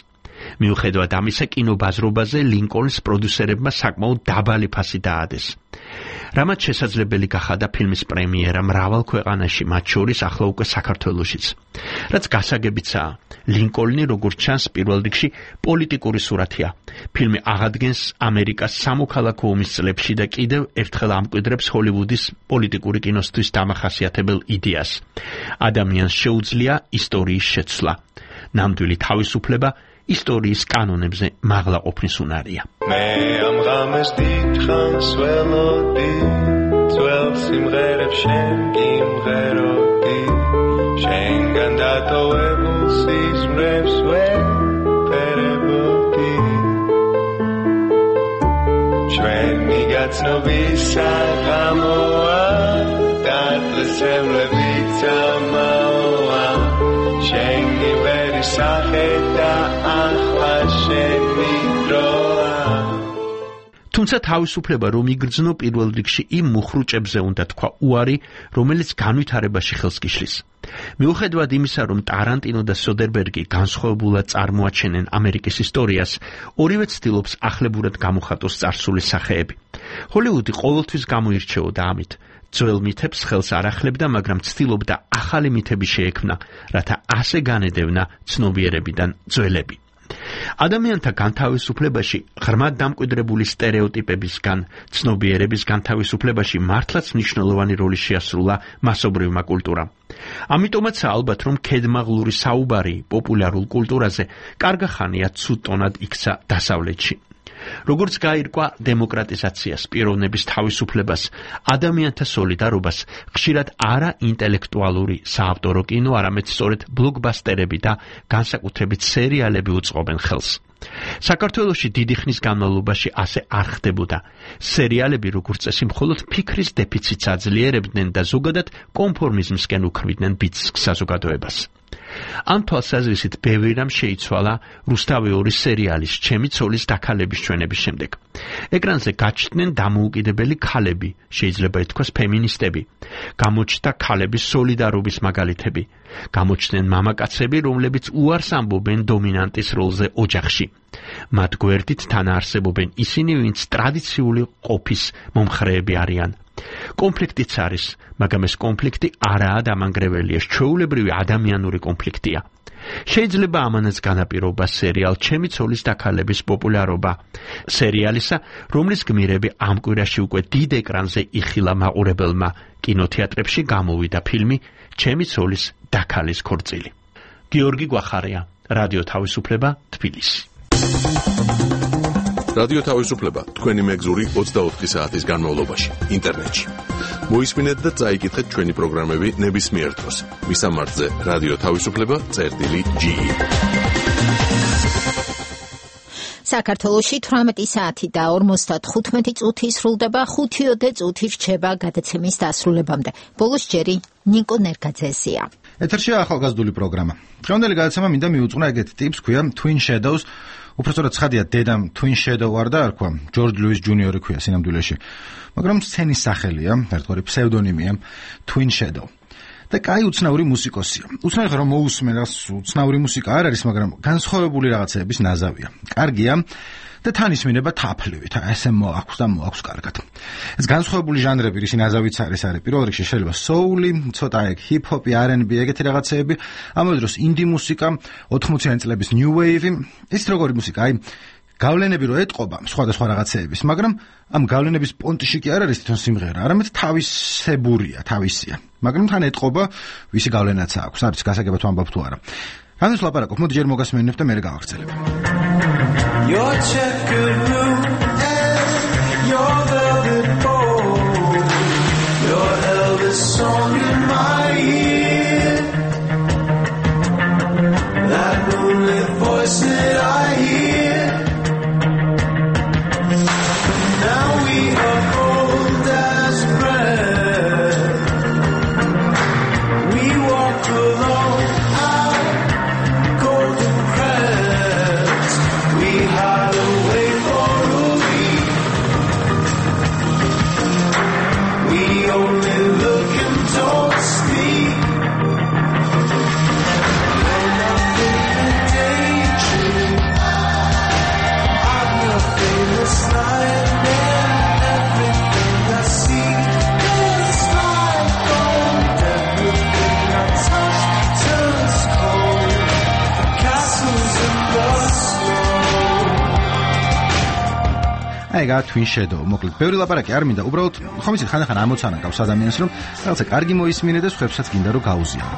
მიუხედავად ამისა, კინობაზრობაზე ლინკოლნის პროდიუსერებმა საკმაოდ დაბალი ფასი დაადეს. რამაც შესაძლებელი გახადა ფილმის პრემიერა მრავალ ქვეყანაში, მათ შორის ახლა უკვე საქართველოშიც. რაც გასაგებიცაა, ლინკოლნი, როგორც ჩანს, პირველ რიგში პოლიტიკური სურათია. ფილმი აღადგენს ამერიკას სამოქალაქო ომის წლებში და კიდევ ერთხელ ამკვიდრებს ჰოლივუდის პოლიტიკური კინოსთვის დამახასიათებელ იდეას. ადამიანს შეუძლია ისტორიის შეცვლა. ნამდვილი თავისუფლება ისტორიის კანონებზე მაღლა ყოფნის უნარია. მე ამ ღამეს დიდხანს ველოდი, ძველ სიმღერებს შენ გიმღეროდი, შენგან დატოვებულ სიზმრებს ვეფერებოდი. ჩვენი გაცნობის საღამოა, დაწესებლებიც ამაოა, შენ გიმღერი სახე და ახლა შენი დროა. თუმცა თავისუფლება რომ იგრძნო პირველ რიგში იმ მუხრუჭებზე უნდა თქვა უარი, რომელიც განვითარებაში ხელს გიშლის. მიუხედავად იმისა, რომ ტარანტინო და სოდერბერგი განსხვავებულად წარმოაჩენენ ამერიკის ისტორიას, ორივე ცდილობს ახლებურად გამოხატოს წარსული სახეები. ჰოლივუდი ყოველთვის გამოირჩეოდა ამით. ძველ მითებს ხელს არ ახლებდა, მაგრამ ცდილობდა ახალი მითები შეექმნა, რათა ასე განედევნა ცნობიერებიდან ძველები. ადამიანთა განთავისუფლებაში, ღრმად დამკვიდრებული სტერეოტიპებისგან, ცნობიერების განთავისუფლებაში მართლაც მნიშვნელოვანი როლი შეასრულა მასობრივმა კულტურამ. ამიტომაც ალბათ, რომ ქედმაღლური საუბარი პოპულარულ კულტურაზე კარგა ხანია ცუდტონად იქცა დასავლეთში. როგორც გაირკვა დემოკრატიზაციას, პიროვნების თავისუფლებას, ადამიანთა სოლიდარობას, ხშირად არა ინტელექტუალური საავტორო კინო, არამედ სწორედ ბლოკბასტერები და განსაკუთრებით სერიალები უწყობენ ხელს. საქართველოში დიდი ხნის განმავლობაში ასე არ ხდებოდა. სერიალები, როგორც წესი, მხოლოდ ფიქრის დეფიციტს აძლიერებდნენ და ზოგადად კონფორმიზმსკენ უქმნიდნენ ბიძგ საზოგადოებას. ამ თვალსაზრისით ბევრი რამ შეიცვალა რუსთავეორის სერიალის ჩემი ცოლის დაქალების ჩვენების შემდეგ. ეკრანზე გაჩნდნენ დამოუკიდებელი ქალები, შეიძლება ითქვას ფემინისტები, გამოჩნდა ქალების სოლიდარობის მაგალითები, გამოჩნდნენ მამაკაცები, რომლებიც უარს ამბობენ დომინანტის როლზე ოჯახში. მათ გვერდით თანაარსებობენ ისინი, ვინც ტრადიციული ყოფის მომხრეები არიან. კონფლიქტიც არის, მაგრამ ეს კონფლიქტი არაა დამანგრეველია, ჩვეულებრივი ადამიანური კონფლიქტია. შეიძლება ამანაც განაპირობა სერიალ ჩემი ცოლის დაქალების პოპულარობა, სერიალისა, რომლის გმირები ამ კვირაში უკვე დიდ ეკრანზე იხილა მაყურებელმა. კინოთეატრებში გამოვიდა ფილმი ჩემი ცოლის დაქალის ქორწილი. გიორგი გვახარია, რადიო თავისუფლება, თბილისი. რადიო თავისუფლება თქვენი მეგზური 24 საათის განმავლობაში ინტერნეტში. მოისმინეთ და წაიკითხეთ ჩვენი პროგრამები ნებისმიერ დროს. მისამართზე რადიო თავისუფლება.ge. საქართველოში 18 საათი და 55 წუთი სრულდება, 5 წუთი რჩება გადაცემის დასრულებამდე. ბოლოს ჯერი ნიკო ნერგაძესია. ეთერშია ახალგაზრდული პროგრამა. დღევანდელი გადაცემა მინდა მიუძღვნა ეგეთ ტიპს, ქვია Twin Shadows. უпростоრად ცხადია, დედამ Twin Shadow არ დაარქვა, ჯორჯ ლუის ჯუნიორი ქვია სინამდვილეში. მაგრამ სცენის სახელია, ერთგვარი ფსევდონიმია Twin Shadow. და კაი უცნაური მუსიკოსია. უცნაური რომ მოусმენ, უცნაური მუსიკა არ არის, მაგრამ განსხვავებული რაღაცეების ნაზავია. კარგია და თან ისმინება თაფლივით, ესე მოაქვს და მოაქვს კარგად. ეს განსხვავებული ჟანრები, რისი ნაზავიც არის პირველ რიგში შეიძლება soul-ი, ცოტა hip-hop-ი, R&B, ეგეთი რაღაცეები, ამავე დროს indie მუსიკა, 80-იანი წლების new wave-ი, ის როგორი მუსიკა, გავლენები რო ეტყობა სხვადასხვა რაღაცეების, მაგრამ ამ გავლენების პონტში კი არ არის თვითონ სიმღერა, არამედ თავისებურია, თავისია. მაგრამ თან ეტყობა ვისი გავლენაც აქვს, არის გასაგებად ვამბობ თუ არა. რანაც ლაპარაკობ, მოდი ჯერ მოგასმენებ და მერე გავახცელებ. Your checkered room and your velvet bowl, your Elvis song in my ear, that moonlit voice that I hear. Now we are cold as bread. We walk along our golden crest. We hide away for a week. We only look and don't speak. You're nothing in danger. I'm your famous nightmare. Everything I see is like gold. Everything I touch turns cold. Castles in the snow. აიგა Twin Shadow. მოკლედ, ბევრი ლაპარაკი არ მინდა, უბრალოდ ხომ იცით ხანდახან ამოცანა გაქვს ადამიანს, რომ რაღაცა კარგი მოისმინე და სხვებსაც გინდა რომ გაუზიარო.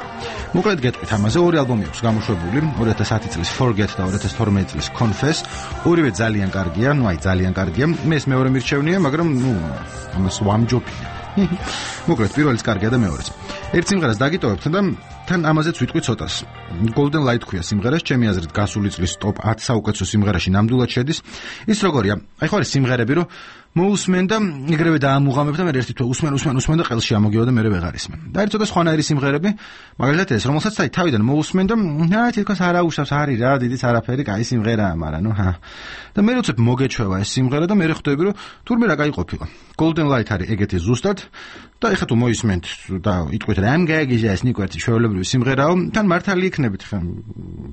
მოკლედ გეტყვით ამაზე, ორი ალბომი აქვს გამოშვებული, 2010 წლის Forget და 2012 წლის Confess. ორივე ძალიან კარგია, ძალიან კარგია. მე ეს მეორე მირჩევნია, მაგრამ ამას ვამჯობია. მოკლედ, პირველიც კარგია და მეორეც. ერთ სიმღერას დაგიტოვებთ და თან ამაზეც ვიტყვი ცოტას. Golden Light ქვია სიმღერას, ჩემი აზრით გასული წლის top 10 საუკეთესო სიმღერაში ნამდვილად შედის. ის როგორია? აი ხო არის სიმღერები, რომ მოусმენ და იგრევე დაამუღამებ და მე ერთი თვე усმენ და ყელში ამოგივა და მე ვეღარ ისმენ. და არის ცოტა სხვანაირი სიმღერები, მაგალითად ეს, რომელსაც აი თავიდან მოусმენ და თითქოს არ აუშავს, არის რა, დიდიც არაფერი, კაი სიმღერაა, მაგრამ და მე როცა მოგეჩვევა ეს სიმღერა და მე ხვდები, რომ თურმე რა კაი ყოფილა. Golden Light არის ეგეთი ზუსტად და ეხლა თუ მოისმენთ და იტყვით რამ გაიგიზა ეს ნიკვეთი ჩვეულებრივი სიმღერაო, თან მართალი იქნებით ხა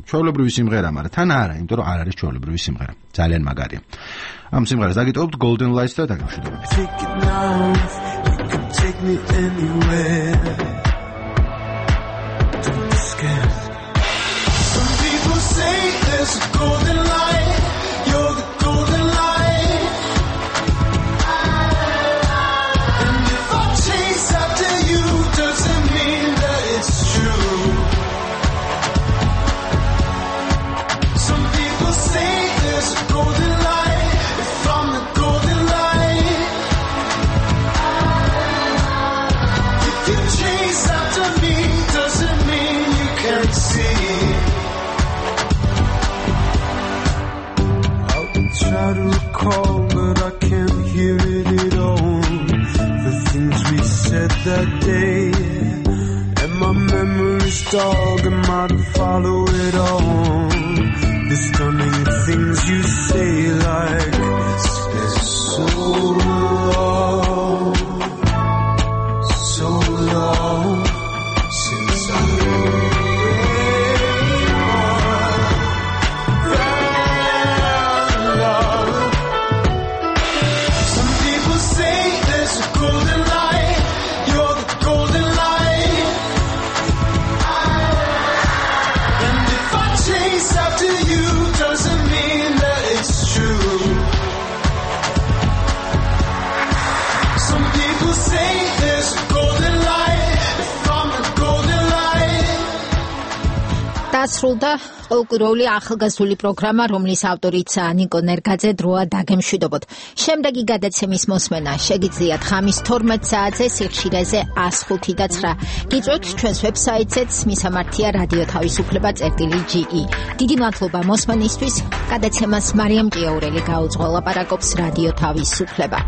ჩვეულებრივი სიმღერა, მაგრამ თან არა, იმიტომ რომ არ არის ჩვეულებრივი სიმღერა. ძალიან მაგარია. ამ სიმღერას დაგიტოვებთ Golden Lights და დაგემშვიდობებით. Take it now, you can take me anywhere. Don't be scared. Some people say there's a golden light, you're the golden light. And if I chase after you, doesn't mean that it's true. Some people say there's a golden light, if I'm the golden light. If you chase after me, doesn't mean you can't see. I'll try to recall, but I can't hear it at all. The things we said that day, and my memory's dog, and my follow it on. The stunning things you say like it's so long since I found love. Some people say there's a golden light. You're the golden light. And if I chase after you, doesn't mean that it's true. Some people say there's a golden light. If I'm the golden light. დასრულდა ყოველკვირეული ახალგაზრდული პროგრამა, რომლის ავტორიცაა ნიკო ნერგაძე. დროა დაგემშვიდობოთ. შემდეგი გადაცემის მოსმენა შეგიძლიათ ხამის 12 საათზე სიხშირეზე 105 და 9. გიწვევთ ჩვენს ვებსაიტზეც მისამართია რადიო თავისუფლება.ge. დიდი მადლობა მოსმენისთვის. გადაცემას მარიამ ჭიაურელი გაუძღვა, ლაპარაკობს რადიო თავისუფლება.